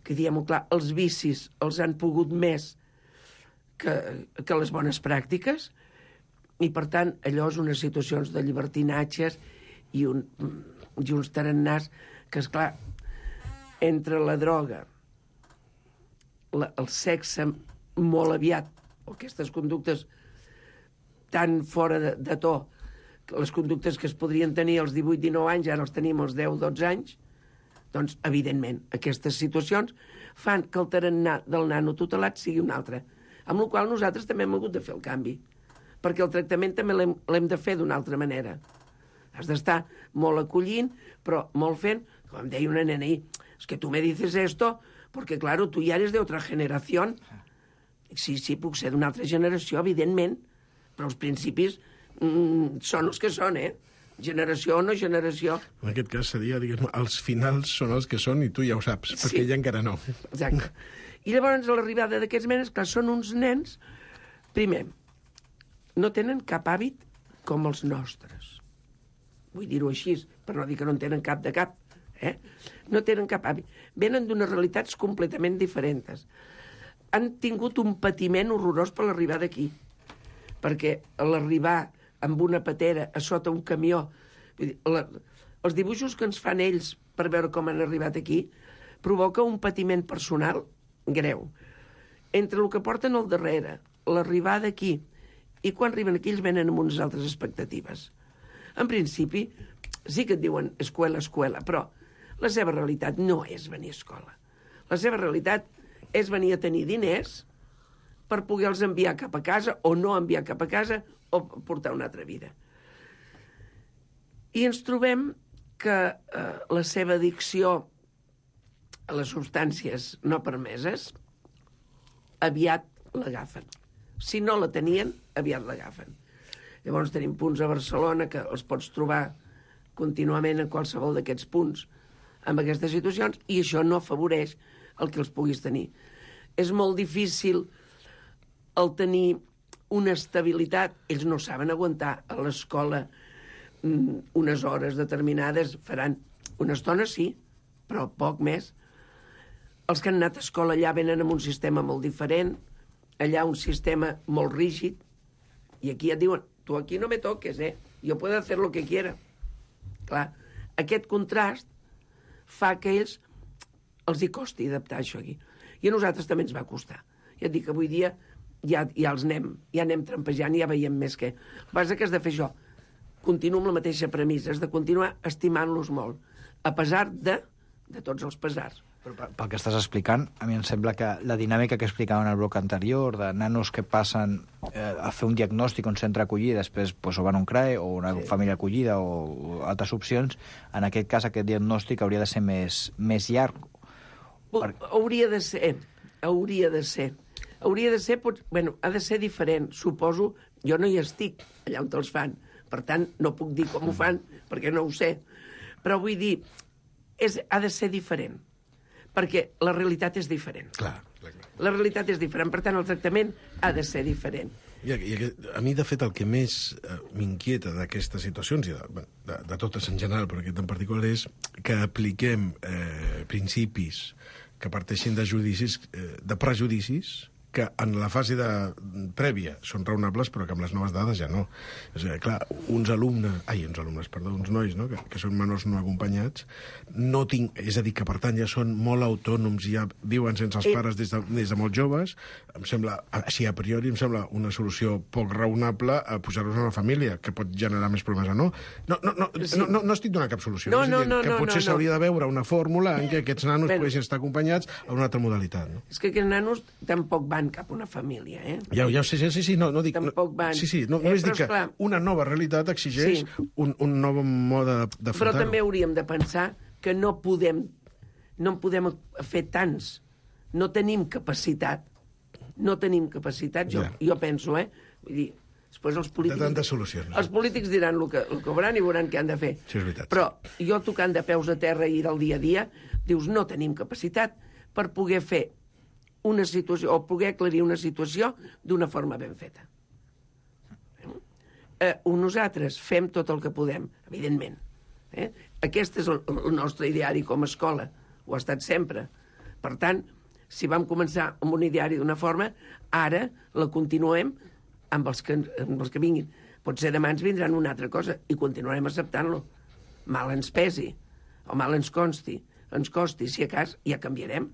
que, diguem-ho clar, els vicis els han pogut més que, que les bones pràctiques, i, per tant, allò és unes situacions de llibertinatges i, un, i uns tarannars que, esclar, entre la droga, la, el sexe molt aviat, o aquestes conductes tan fora de, de to, les conductes que es podrien tenir als divuit dinou anys, ara els tenim als deu dotze anys, doncs, evidentment, aquestes situacions fan que el tarannà del nano tutelat sigui un altre. Amb la qual nosaltres també hem hagut de fer el canvi, perquè el tractament també l'hem, l'hem de fer d'una altra manera. Has d'estar molt acollint, però molt fent, com em deia una nena ahir, es que tu me dices esto, porque claro, tu ja eres de otra generación. Sí, sí, puc ser d'una altra generació, evidentment, però els principis mm, són els que són, eh? Generació o no generació. En aquest cas seria, diguem, els finals són els que són i tu ja ho saps, perquè sí. ella encara no. Exacte. I llavors, a l'arribada d'aquests menes, clar, són uns nens, primer, no tenen cap hàbit com els nostres. Vull dir-ho així, per no dir que no en tenen cap de cap. Eh? No tenen cap hàbit. Venen d'unes realitats completament diferents. Han tingut un patiment horrorós per l'arribar d'aquí. Perquè l'arribar amb una patera a sota un camió, vull dir, la, els dibuixos que ens fan ells per veure com han arribat aquí provoca un patiment personal greu. Entre el que porten al darrere, l'arribada aquí, i quan arriben aquí ells venen amb unes altres expectatives. En principi, sí que et diuen escuela, escuela, però la seva realitat no és venir a escola. La seva realitat és venir a tenir diners per poder-los enviar cap a casa o no enviar cap a casa o portar una altra vida. I ens trobem que eh, la seva addicció a les substàncies no permeses aviat l'agafen. Si no la tenien, aviat l'agafen. Llavors tenim punts a Barcelona que els pots trobar contínuament en qualsevol d'aquests punts amb aquestes situacions, i això no afavoreix el que els puguis tenir. És molt difícil el tenir una estabilitat. Ells no saben aguantar a l'escola unes hores determinades, faran una estona, sí, però poc més. Els que han anat a escola allà venen amb un sistema molt diferent, allà un sistema molt rígid, i aquí et diuen, tu aquí no me toques, eh? Jo puedo hacer lo que quiera. Clar, aquest contrast fa que ells els hi costi adaptar això aquí. I a nosaltres també ens va costar. Ja et dic que avui dia ja, ja els anem, ja anem trampejant i ja veiem més que... El que passa que has de fer això. Continuo amb la mateixa premissa, has de continuar estimant-los molt, a pesar de, de tots els pesars. Però pel que estàs explicant, a mi em sembla que la dinàmica que explicava en el bloc anterior, de nanos que passen eh, a fer un diagnòstic a un centre acollida, després pues, o van a un C R A E o una sí. família acollida o, o altres opcions, en aquest cas aquest diagnòstic hauria de ser més, més llarg. Per... Hauria de ser, hauria de ser. Hauria de ser, pot... bueno, ha de ser diferent. Suposo, jo no hi estic allà on els fan, per tant, no puc dir com ho fan, perquè no ho sé. Però vull dir, és, ha de ser diferent, perquè la realitat és diferent. Clar, clar, clar. La realitat és diferent, per tant, el tractament ha de ser diferent. I, i a mi, de fet, el que més eh, m'inquieta d'aquestes situacions, i de, de, de totes en general, però aquest en particular, és que apliquem eh, principis que parteixin de judicis, eh, de prejudicis, que en la fase de, prèvia són raonables, però que amb les noves dades ja no. És a dir, clar, uns alumnes, ai, uns alumnes, perdó, uns nois, no?, que, que són menors no acompanyats, no tinc, és a dir, que per tant ja són molt autònoms, ja viuen sense els pares des de, des de molt joves, em sembla, així a priori, em sembla una solució poc raonable a posar-los a una família, que pot generar més problemes o no. No, no, no, sí. no, no, no estic donant cap solució. No, és no, dir, no, que no, potser no, s'hauria no. de veure una fórmula en què aquests nanos Bé, poguessin estar acompanyats a una altra modalitat. No? És que aquests nanos tampoc van cap a una família, eh? Ja, ja ho sé, sí, sí, no, no dic... Tampoc van. Sí, sí, no, eh, no és dir que esclar, una nova realitat exigeix sí. un, un nou mode d'afrontar-ho. Però també hauríem de pensar que no podem, no en podem fer tants. No tenim capacitat. No tenim capacitat, jo, Ja. jo penso, eh? Vull dir, després els polítics... De tantes solucions. Els polítics diran el que, el que veuran i veuran què han de fer. Sí, és veritat. Però jo tocant de peus a terra i del dia a dia, dius, no tenim capacitat per poder fer una situació, o poder aclarir una situació d'una forma ben feta. Eh, nosaltres fem tot el que podem, evidentment. Eh? Aquest és el, el nostre ideari com a escola, ho ha estat sempre. Per tant, si vam començar amb un ideari d'una forma, ara la continuem amb els que, amb els que vinguin. Potser demà ens vindran una altra cosa i continuarem acceptant-lo. Mal ens pesi, o mal ens consti, ens costi, si a cas ja canviarem.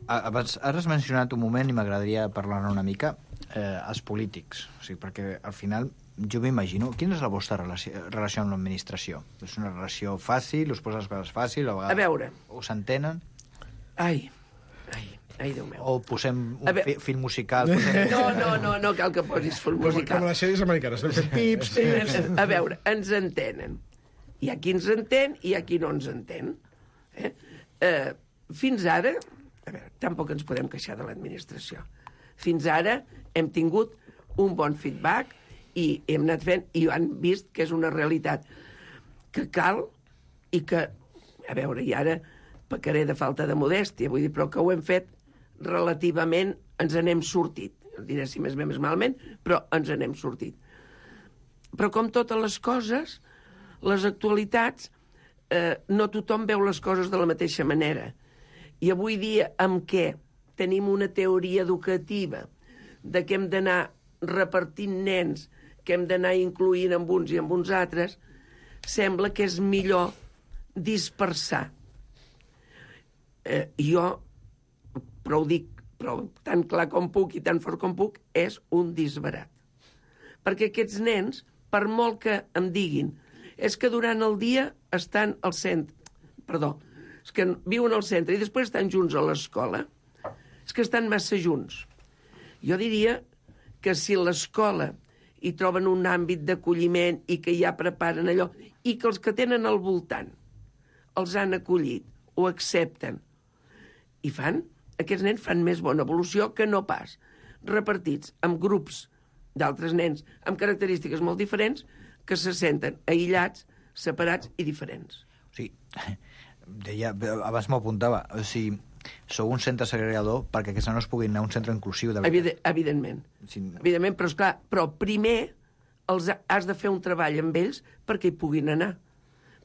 Abans, ara has mencionat un moment i m'agradaria parlar-ne una mica, eh, els polítics. O sigui, perquè al final jo m'imagino... Quina és la vostra relació, relació amb l'administració? És una relació fàcil? Us posa les coses fàcil? A, a veure... Us entenen? Ai, ai, ai, Déu meu. O posem un fi, film musical? Posem... No, no, no, no cal que posis film musical. Com les sèries americanes, no fem pips, pips... A veure, ens entenen. Hi ha qui ens entén i hi ha qui no ens entén. Eh? Eh, fins ara... A veure, tampoc ens podem queixar de l'administració. Fins ara hem tingut un bon feedback i hem anat fent, i han vist que és una realitat que cal i que, a veure, i ara pecaré de falta de modèstia, vull dir, però que ho hem fet relativament, ens n'hem sortit. No diré si més bé més malament, però ens n'hem sortit. Però com totes les coses, les actualitats, eh, no tothom veu les coses de la mateixa manera. I avui dia, amb què tenim una teoria educativa de que hem d'anar repartint nens, que hem d'anar incloent amb uns i amb uns altres, sembla que és millor dispersar. Eh, jo, però ho dic però tan clar com puc i tan fort com puc, és un disbarat. Perquè aquests nens, per molt que em diguin, és que durant el dia estan al centre, perdó, és que viuen al centre i després estan junts a l'escola, és que estan massa junts. Jo diria que si l'escola hi troben un àmbit d'acolliment i que ja preparen allò, i que els que tenen al voltant els han acollit, ho accepten, i fan, aquests nens fan més bona evolució que no pas repartits en grups d'altres nens amb característiques molt diferents que se senten aïllats, separats i diferents. O sigui, deia, abans m'ho apuntava, o sigui, sou un centre segregador perquè aquests nanos puguin anar a un centre inclusiu. De Evident, evidentment. Sí. Evidentment, però, esclar, però primer els has de fer un treball amb ells perquè hi puguin anar.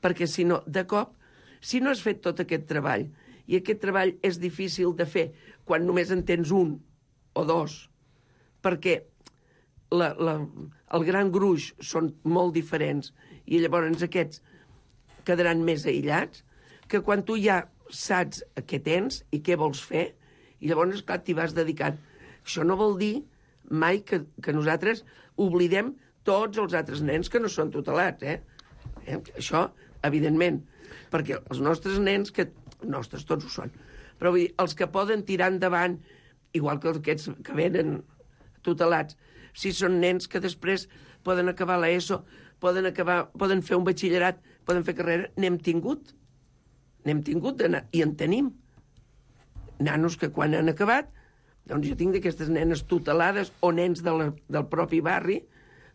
Perquè, si no, de cop, si no has fet tot aquest treball, i aquest treball és difícil de fer quan només en tens un o dos, perquè la, la, el gran gruix són molt diferents i llavors aquests quedaran més aïllats, que quan tu ja saps què tens i què vols fer, i llavors, clar, t'hi vas dedicant. Això no vol dir mai que, que nosaltres oblidem tots els altres nens que no són tutelats, eh? eh? Això, evidentment, perquè els nostres nens, que nostres tots ho són, però vull dir, els que poden tirar endavant, igual que aquests que venen tutelats, si són nens que després poden acabar l'ESO, poden, acabar, poden fer un batxillerat, poden fer carrera, n'hem tingut. N'hem tingut d'anar, i en tenim. Nanos que quan han acabat, doncs jo tinc d'aquestes nenes tutelades o nens de la, del propi barri,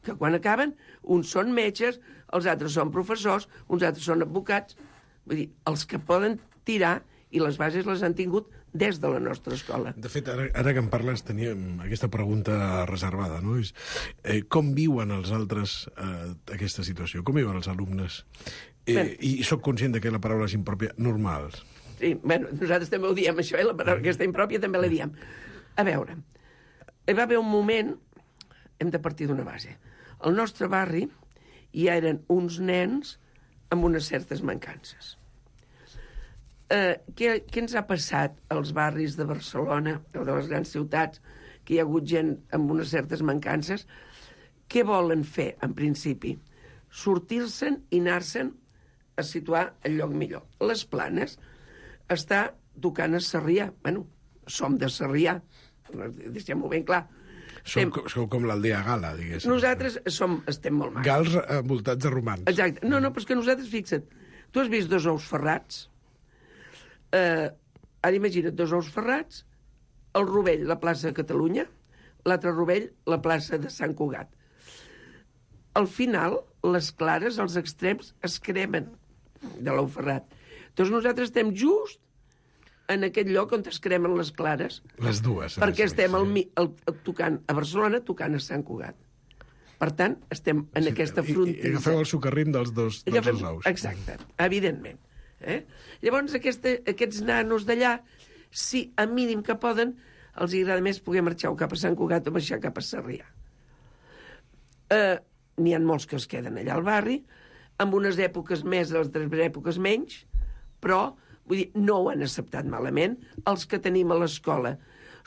que quan acaben, uns són metges, els altres són professors, uns altres són advocats. Vull dir, els que poden tirar, i les bases les han tingut des de la nostra escola. De fet, ara, ara que en parles, teníem aquesta pregunta reservada, no? És, eh, com viuen els altres eh, aquesta situació? Com viuen els alumnes? Eh, ben, I soc conscient de que la paraula és impròpia, normals. Sí, bueno, nosaltres també ho diem, això, eh? La paraula aquesta impròpia també la diem. A veure, hi va haver un moment, hem de partir d'una base. Al nostre barri hi eren uns nens amb unes certes mancances. Eh, què, què ens ha passat als barris de Barcelona o de les grans ciutats, que hi ha hagut gent amb unes certes mancances? Què volen fer, en principi? Sortir-se'n i anar-se'n a situar el lloc millor. Les Planes està tocant a Sarrià. Bueno, som de Sarrià, deixem-ho ben clar. Som, estem... Sou com l'aldea Gala, diguéssim. Nosaltres som, estem molt mal. Gals envoltats de romans. Exacte. No, no, però és que nosaltres, fixa't, tu has vist dos ous ferrats? Eh, ara imagina't, dos ous ferrats, el Rovell, la plaça de Catalunya, l'altre Rovell, la plaça de Sant Cugat. Al final, les clares, els extrems, es cremen de l'ou ferrat. Doncs nosaltres estem just en aquest lloc on es cremen les clares. Les dues. Perquè estem al, al, al, tocant a Barcelona, tocant a Sant Cugat. Per tant, estem en sí, aquesta frontera. I, i agafeu el socarrim dels dos, dels agafem, dos ous. Exacte, evidentment. Eh? Llavors, aquesta, aquests nanos d'allà, si a mínim que poden, els agrada més poder marxar cap a Sant Cugat o marxar cap a Sarrià. Eh, N'hi ha molts que es queden allà al barri, amb unes èpoques més, altres èpoques menys, però vull dir, no ho han acceptat malament. Els que tenim a l'escola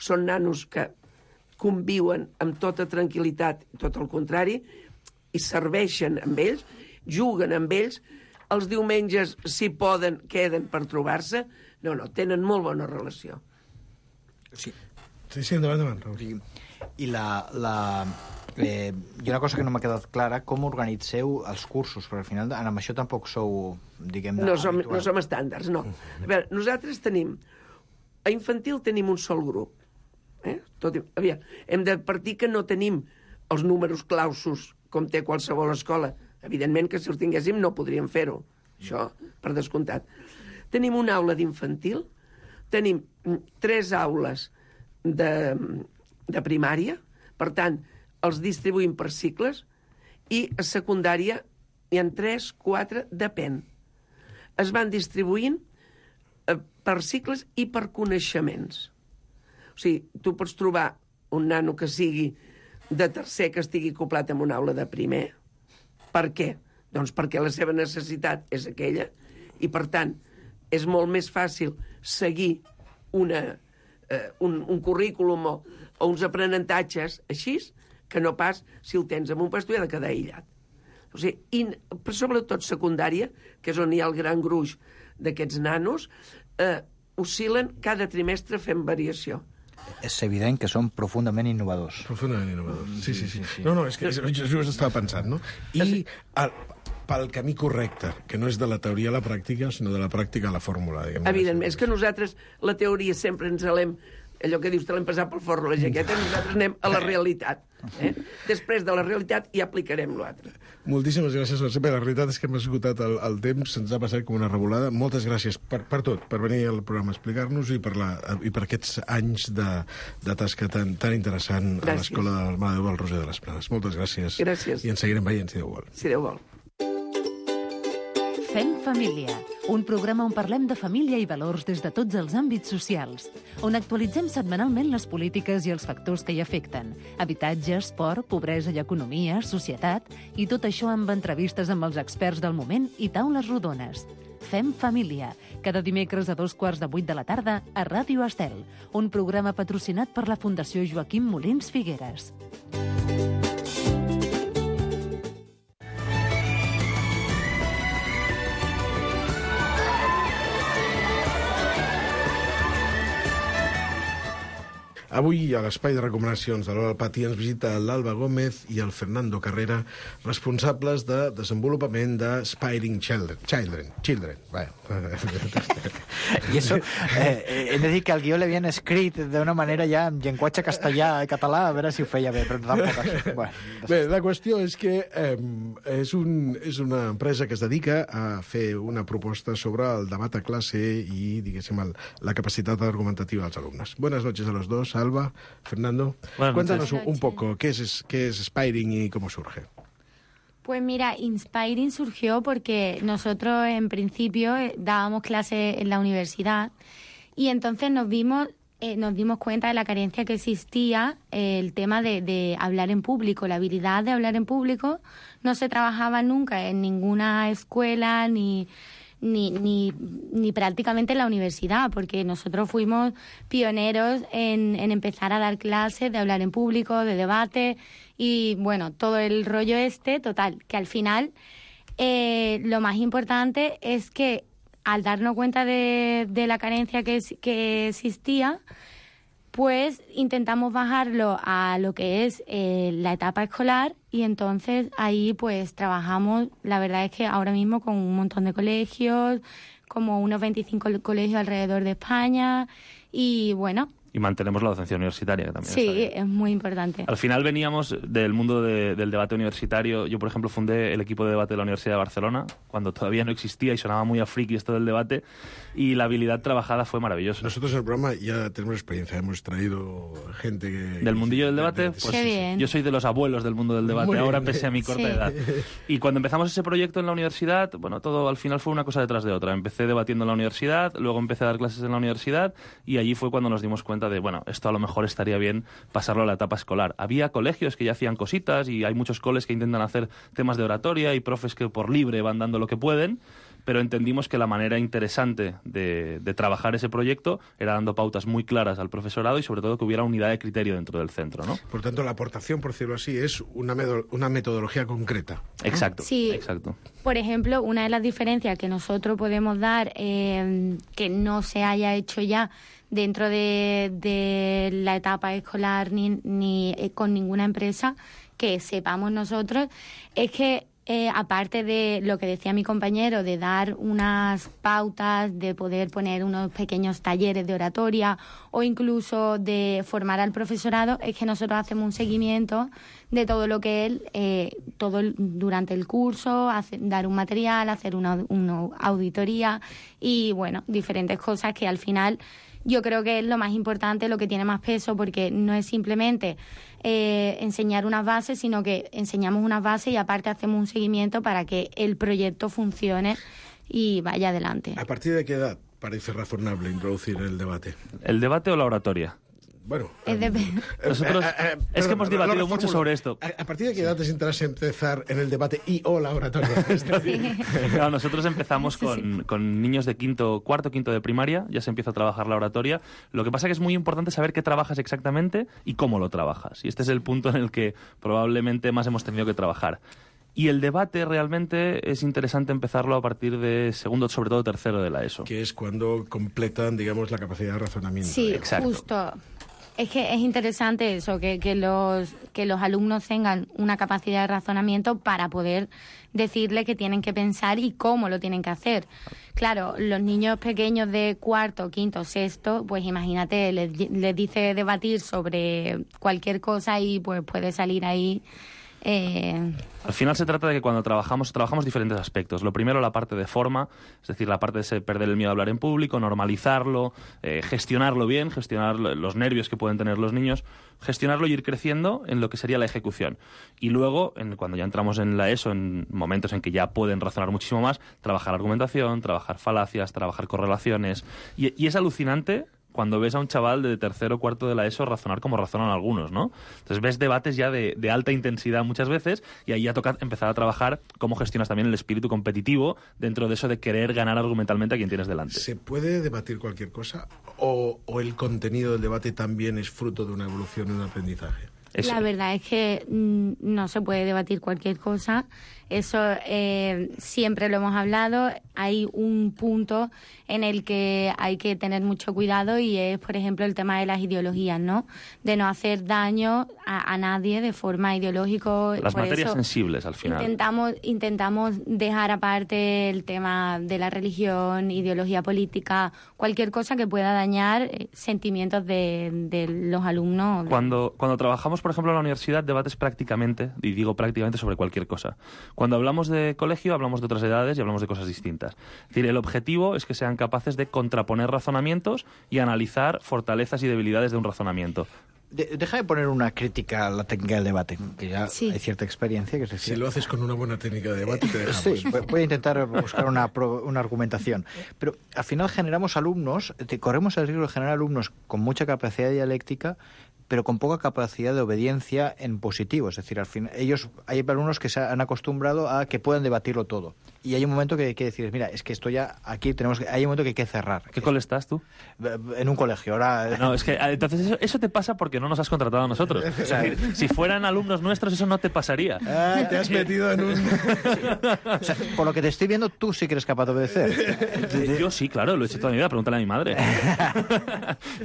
són nanos que conviuen amb tota tranquil·litat, tot el contrari, i serveixen amb ells, juguen amb ells. Els diumenges, si poden, queden per trobar-se. No, no, tenen molt bona relació. Sí. Sí, sí, endavant, endavant. Sí. I la... la eh, hi ha una cosa que no m'ha quedat clara, com organitzeu els cursos? Perquè al final amb això tampoc sou, diguem-ne, no som, no som estàndards, no. A veure, nosaltres tenim... A infantil tenim un sol grup. Eh? Tot, aviam, hem de partir que no tenim els números clausos com té qualsevol escola. Evidentment que si els tinguéssim no podríem fer-ho. Això, per descomptat. Tenim una aula d'infantil, tenim tres aules de, de primària, per tant, els distribuïm per cicles, i a secundària hi ha tres, quatre, depèn. Es van distribuint eh, per cicles i per coneixements. O sigui, tu pots trobar un nano que sigui de tercer que estigui acoplat en una aula de primer. Per què? Doncs perquè la seva necessitat és aquella i, per tant, és molt més fàcil seguir una, eh, un, un currículum o, o uns aprenentatges així que no pas si el tens en un pas, tu ha de quedar aïllat. O sigui, i, però sobretot secundària, que és on hi ha el gran gruix d'aquests nanos, eh, oscil·len cada trimestre fent variació. És evident que són profundament innovadors. Profundament innovadors, sí, sí, sí. sí. No, no, és que jo estava pensant, no? I el, pel camí correcte, que no és de la teoria a la pràctica, sinó de la pràctica a la fórmula, diguem. Evidentment, és que nosaltres la teoria sempre ens l'hem allò que dius, te l'hem passat pel forro la jaqueta, nosaltres anem a la realitat. Eh? Després de la realitat ja aplicarem l'altre. Moltíssimes gràcies, Mercè. La realitat és que hem esgotat el, el temps, se'ns ha passat com una revolada. Moltes gràcies per, per tot, per venir al programa a explicar-nos i per, la, i per aquests anys de, de tasca tan, tan interessant gràcies. A l'Escola del Mare de Déu del Roser de les Planes. Moltes gràcies. Gràcies. I ens seguirem veient, si Déu vol. Si Déu vol. Fem família, un programa on parlem de família i valors des de tots els àmbits socials, on actualitzem setmanalment les polítiques i els factors que hi afecten, habitatge, esport, pobresa i economia, societat, i tot això amb entrevistes amb els experts del moment i taules rodones. Fem família, cada dimecres a dos quarts de vuit de la tarda a Ràdio Estel, un programa patrocinat per la Fundació Joaquim Molins Figueres. Avui, a l'espai de recomanacions de l'Hora del Pati, ens visita l'Alba Gómez i el Fernando Carrera, responsables de desenvolupament de Spiring Children. Children. Children. Bueno. I això, eh, he de dir que el guió l'havien escrit d'una manera ja en llenguatge castellà i català, a veure si ho feia bé, però tampoc això. Bueno, bé, la qüestió és que eh, és, un, és una empresa que es dedica a fer una proposta sobre el debat a classe i, diguéssim, el, la capacitat argumentativa dels alumnes. Buenas noches a los dos. Alba, Fernando, Buenas cuéntanos un, un poco qué es, qué es Spiring y cómo surge. Pues mira, Inspiring surgió porque nosotros en principio dábamos clases en la universidad y entonces nos vimos, eh, nos dimos cuenta de la carencia que existía, eh, el tema de, de hablar en público, la habilidad de hablar en público no se trabajaba nunca en ninguna escuela ni... Ni, ni, ni prácticamente en la universidad, porque nosotros fuimos pioneros en, en empezar a dar clases de hablar en público, de debate y, bueno, todo el rollo este, total, que al final eh, lo más importante es que al darnos cuenta de, de la carencia que, que existía, pues intentamos bajarlo a lo que es eh, la etapa escolar y entonces ahí pues trabajamos, la verdad es que ahora mismo con un montón de colegios, como unos veinticinco colegios alrededor de España y bueno... Y mantenemos la docencia universitaria, que también sí, está bien. Es muy importante. Al final veníamos del mundo de, del debate universitario. Yo, por ejemplo, fundé el equipo de debate de la Universidad de Barcelona, cuando todavía no existía y sonaba muy a friki esto del debate, y la habilidad trabajada fue maravillosa. Nosotros en el programa ya tenemos experiencia, hemos traído gente que... ¿Del mundillo del debate? Pues Qué bien. Yo soy de los abuelos del mundo del debate, muy ahora bien. Pese a mi corta sí. edad. Y cuando empezamos ese proyecto en la universidad, bueno, todo al final fue una cosa detrás de otra. Empecé debatiendo en la universidad, luego empecé a dar clases en la universidad, y allí fue cuando nos dimos cuenta de, bueno, esto a lo mejor estaría bien pasarlo a la etapa escolar. Había colegios que ya hacían cositas y hay muchos coles que intentan hacer temas de oratoria y profes que por libre van dando lo que pueden, pero entendimos que la manera interesante de, de trabajar ese proyecto era dando pautas muy claras al profesorado y sobre todo que hubiera unidad de criterio dentro del centro, ¿no? Por tanto, la aportación, por decirlo así, es una, una metodología concreta. Exacto, sí. exacto. Por ejemplo, una de las diferencias que nosotros podemos dar, eh, que no se haya hecho ya dentro de, de la etapa escolar ni, ni con ninguna empresa que sepamos nosotros, es que Eh, aparte de lo que decía mi compañero, de dar unas pautas, de poder poner unos pequeños talleres de oratoria o incluso de formar al profesorado, es que nosotros hacemos un seguimiento de todo lo que él, eh, todo el, durante el curso, hace, dar un material, hacer una, una auditoría y, bueno, diferentes cosas que al final yo creo que es lo más importante, lo que tiene más peso, porque no es simplemente eh, enseñar unas bases, sino que enseñamos unas bases y aparte hacemos un seguimiento para que el proyecto funcione y vaya adelante. ¿A partir de qué edad parece razonable introducir el debate? ¿El debate o la oratoria? Bueno, es, de... Nosotros, eh, eh, eh, es que hemos debatido lo, lo mucho sobre esto. ¿A, ¿A partir de qué edad te interesa empezar en el debate y o la oratoria? Sí. Claro, nosotros empezamos con, con niños de quinto, cuarto, quinto de primaria, ya se empieza a trabajar la oratoria. Lo que pasa es que es muy importante saber qué trabajas exactamente y cómo lo trabajas. Y este es el punto en el que probablemente más hemos tenido que trabajar. Y el debate realmente es interesante empezarlo a partir de segundo, sobre todo tercero de la ESO. Que es cuando completan, digamos, la capacidad de razonamiento. Sí, exacto. Justo. Es que es interesante eso, que, que, los, que los alumnos tengan una capacidad de razonamiento para poder decirle que tienen que pensar y cómo lo tienen que hacer. Claro, los niños pequeños de cuarto, quinto, sexto, pues imagínate, les, les dice debatir sobre cualquier cosa y pues puede salir ahí... Eh... Al final se trata de que cuando trabajamos, trabajamos diferentes aspectos. Lo primero, la parte de forma, es decir, la parte de perder el miedo a hablar en público, normalizarlo, eh, gestionarlo bien, gestionar los nervios que pueden tener los niños, gestionarlo y ir creciendo en lo que sería la ejecución. Y luego, en, cuando ya entramos en la ESO, en momentos en que ya pueden razonar muchísimo más, trabajar argumentación, trabajar falacias, trabajar correlaciones. Y, y es alucinante cuando ves a un chaval de tercero o cuarto de la ESO razonar como razonan algunos, ¿no? Entonces ves debates ya de, de alta intensidad muchas veces y ahí ya toca empezar a trabajar cómo gestionas también el espíritu competitivo dentro de eso de querer ganar argumentalmente a quien tienes delante. ¿Se puede debatir cualquier cosa o, o el contenido del debate también es fruto de una evolución y un aprendizaje? La verdad es que mm, no se puede debatir cualquier cosa. Eso eh, siempre lo hemos hablado. Hay un punto en el que hay que tener mucho cuidado y es, por ejemplo, el tema de las ideologías, ¿no? De no hacer daño a, a nadie de forma ideológica. Las materias sensibles, al final. Intentamos, intentamos dejar aparte el tema de la religión, ideología política, cualquier cosa que pueda dañar eh, sentimientos de, de los alumnos. Cuando, cuando trabajamos, por ejemplo, en la universidad, debates prácticamente, y digo prácticamente sobre cualquier cosa. Cuando hablamos de colegio, hablamos de otras edades y hablamos de cosas distintas. Es decir, el objetivo es que sean capaces de contraponer razonamientos y analizar fortalezas y debilidades de un razonamiento. De, deja de poner una crítica a la técnica del debate, que ya sí. hay cierta experiencia. Que es decir, si lo haces con una buena técnica de debate, te dejamos. Sí, voy a intentar buscar una, una argumentación. Pero al final generamos alumnos, te, corremos el riesgo de generar alumnos con mucha capacidad dialéctica, pero con poca capacidad de obediencia en positivo. Es decir, al fin, ellos, hay alumnos que se han acostumbrado a que puedan debatirlo todo. Y hay un momento que hay que decir, mira, es que esto ya, aquí tenemos que, hay un momento que hay que cerrar. ¿Qué cole estás tú? En un colegio, ahora... No, es que entonces eso, eso te pasa porque no nos has contratado a nosotros. O sea, si fueran alumnos nuestros, eso no te pasaría. Ah, te has metido en un... O sea, por lo que te estoy viendo, tú sí que eres capaz de obedecer. Yo sí, claro, lo he hecho toda mi vida, pregúntale a mi madre.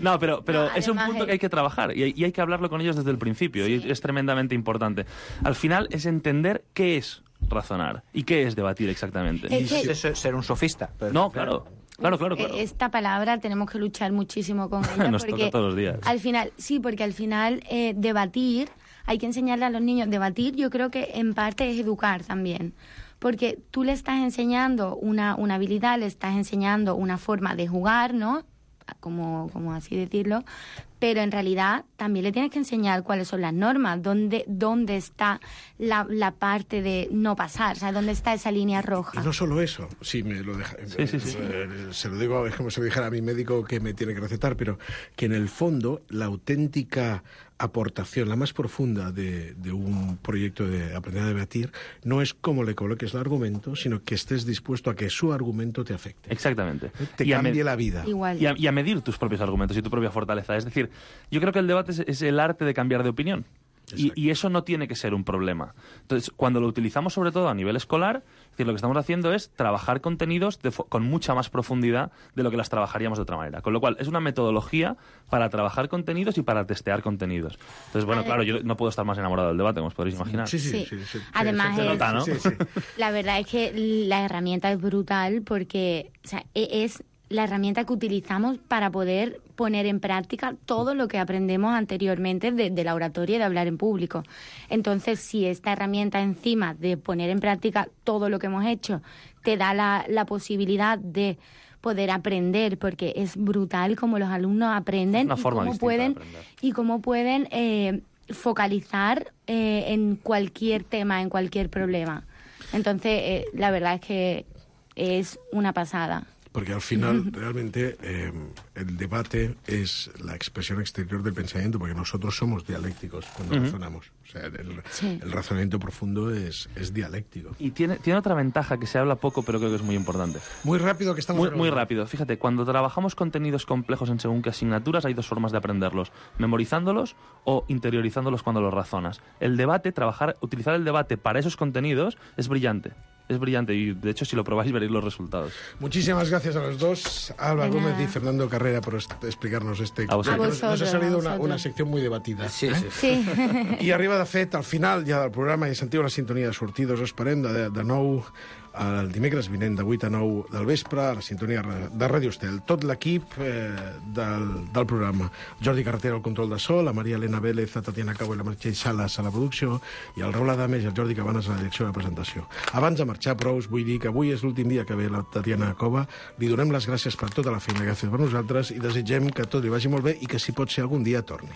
No, pero, pero no, es un punto que hay que trabajar y hay, y hay que hablarlo con ellos desde el principio, sí. Y es tremendamente importante. Al final es entender qué es razonar y qué es debatir exactamente. Es que... es ser un sofista. Pero... No, claro. Claro, claro, claro. Esta palabra tenemos que luchar muchísimo con ella. Nos porque toca todos los días. Al final, sí, porque al final eh, debatir, hay que enseñarle a los niños. Debatir yo creo que en parte es educar también. Porque tú le estás enseñando una, una habilidad, le estás enseñando una forma de jugar, ¿no? Como, como así decirlo, pero en realidad también le tienes que enseñar cuáles son las normas, dónde, dónde está la, la parte de no pasar, o sea, dónde está esa línea roja. Y no solo eso, sí, me lo deja, sí, sí, sí. Se lo digo, es como si lo dijera a mi médico que me tiene que recetar, pero que en el fondo la auténtica aportación, la más profunda de, de un proyecto de aprender a debatir, no es cómo le coloques el argumento, sino que estés dispuesto a que su argumento te afecte. Exactamente. Te y cambie la vida. Igual. Y a, y a medir tus propios argumentos y tu propia fortaleza. Es decir, yo creo que el debate es, es el arte de cambiar de opinión. Y, y eso no tiene que ser un problema. Entonces, cuando lo utilizamos sobre todo a nivel escolar, es decir, lo que estamos haciendo es trabajar contenidos de, con mucha más profundidad de lo que las trabajaríamos de otra manera. Con lo cual, es una metodología para trabajar contenidos y para testear contenidos. Entonces, bueno, claro, yo no puedo estar más enamorado del debate, como os podréis imaginar. Sí, sí, sí. sí. sí, sí. Además, se es, nota, ¿no? Sí, sí. La verdad es que la herramienta es brutal porque o sea, es la herramienta que utilizamos para poder poner en práctica todo lo que aprendemos anteriormente de, de la oratoria y de hablar en público. Entonces, si esta herramienta encima de poner en práctica todo lo que hemos hecho te da la, la posibilidad de poder aprender, porque es brutal cómo los alumnos aprenden Una y, forma cómo pueden, y cómo pueden eh, focalizar eh, en cualquier tema, en cualquier problema. Entonces, eh, la verdad es que es una pasada. Porque al final, realmente, eh, el debate es la expresión exterior del pensamiento, porque nosotros somos dialécticos cuando uh-huh. razonamos. O sea, el, sí. el razonamiento profundo es, es dialéctico. Y tiene, tiene otra ventaja que se habla poco, pero creo que es muy importante. Muy rápido que estamos... Muy, muy rápido. Fíjate, cuando trabajamos contenidos complejos en según qué asignaturas, hay dos formas de aprenderlos. Memorizándolos o interiorizándolos cuando los razonas. El debate, trabajar, utilizar el debate para esos contenidos es brillante. es brillante y, de hecho, si lo probáis veréis los resultados. Muchísimas gracias a los dos, Alba De Gómez nada. y Fernando Carrera, por est- explicarnos este... A vosotros. que A nos, nos ha vosotros, salido a una, vosotros. una secció muy debatida. Sí, eh? sí. Sí. I arriba, de fet, al final ja del programa i sentiu la sintonia de sortides. Us esperem de, de nou el dimecres vinent de vuit a nou del vespre a la sintonia de Ràdio Estel. Tot l'equip eh, del, del programa. Jordi Carretera al control de so, la Maria Elena Vélez, la Tatiana Cabo i la Meritxell Salas a la producció i el Raül Adames i el Jordi Cabanes a la direcció de presentació. Abans de marxar, però, us vull dir que avui és l'últim dia que ve la Tatiana Cova. Li donem les gràcies per tota la feina que ha fet per nosaltres i desitgem que tot li vagi molt bé i que, si pot ser, algun dia torni.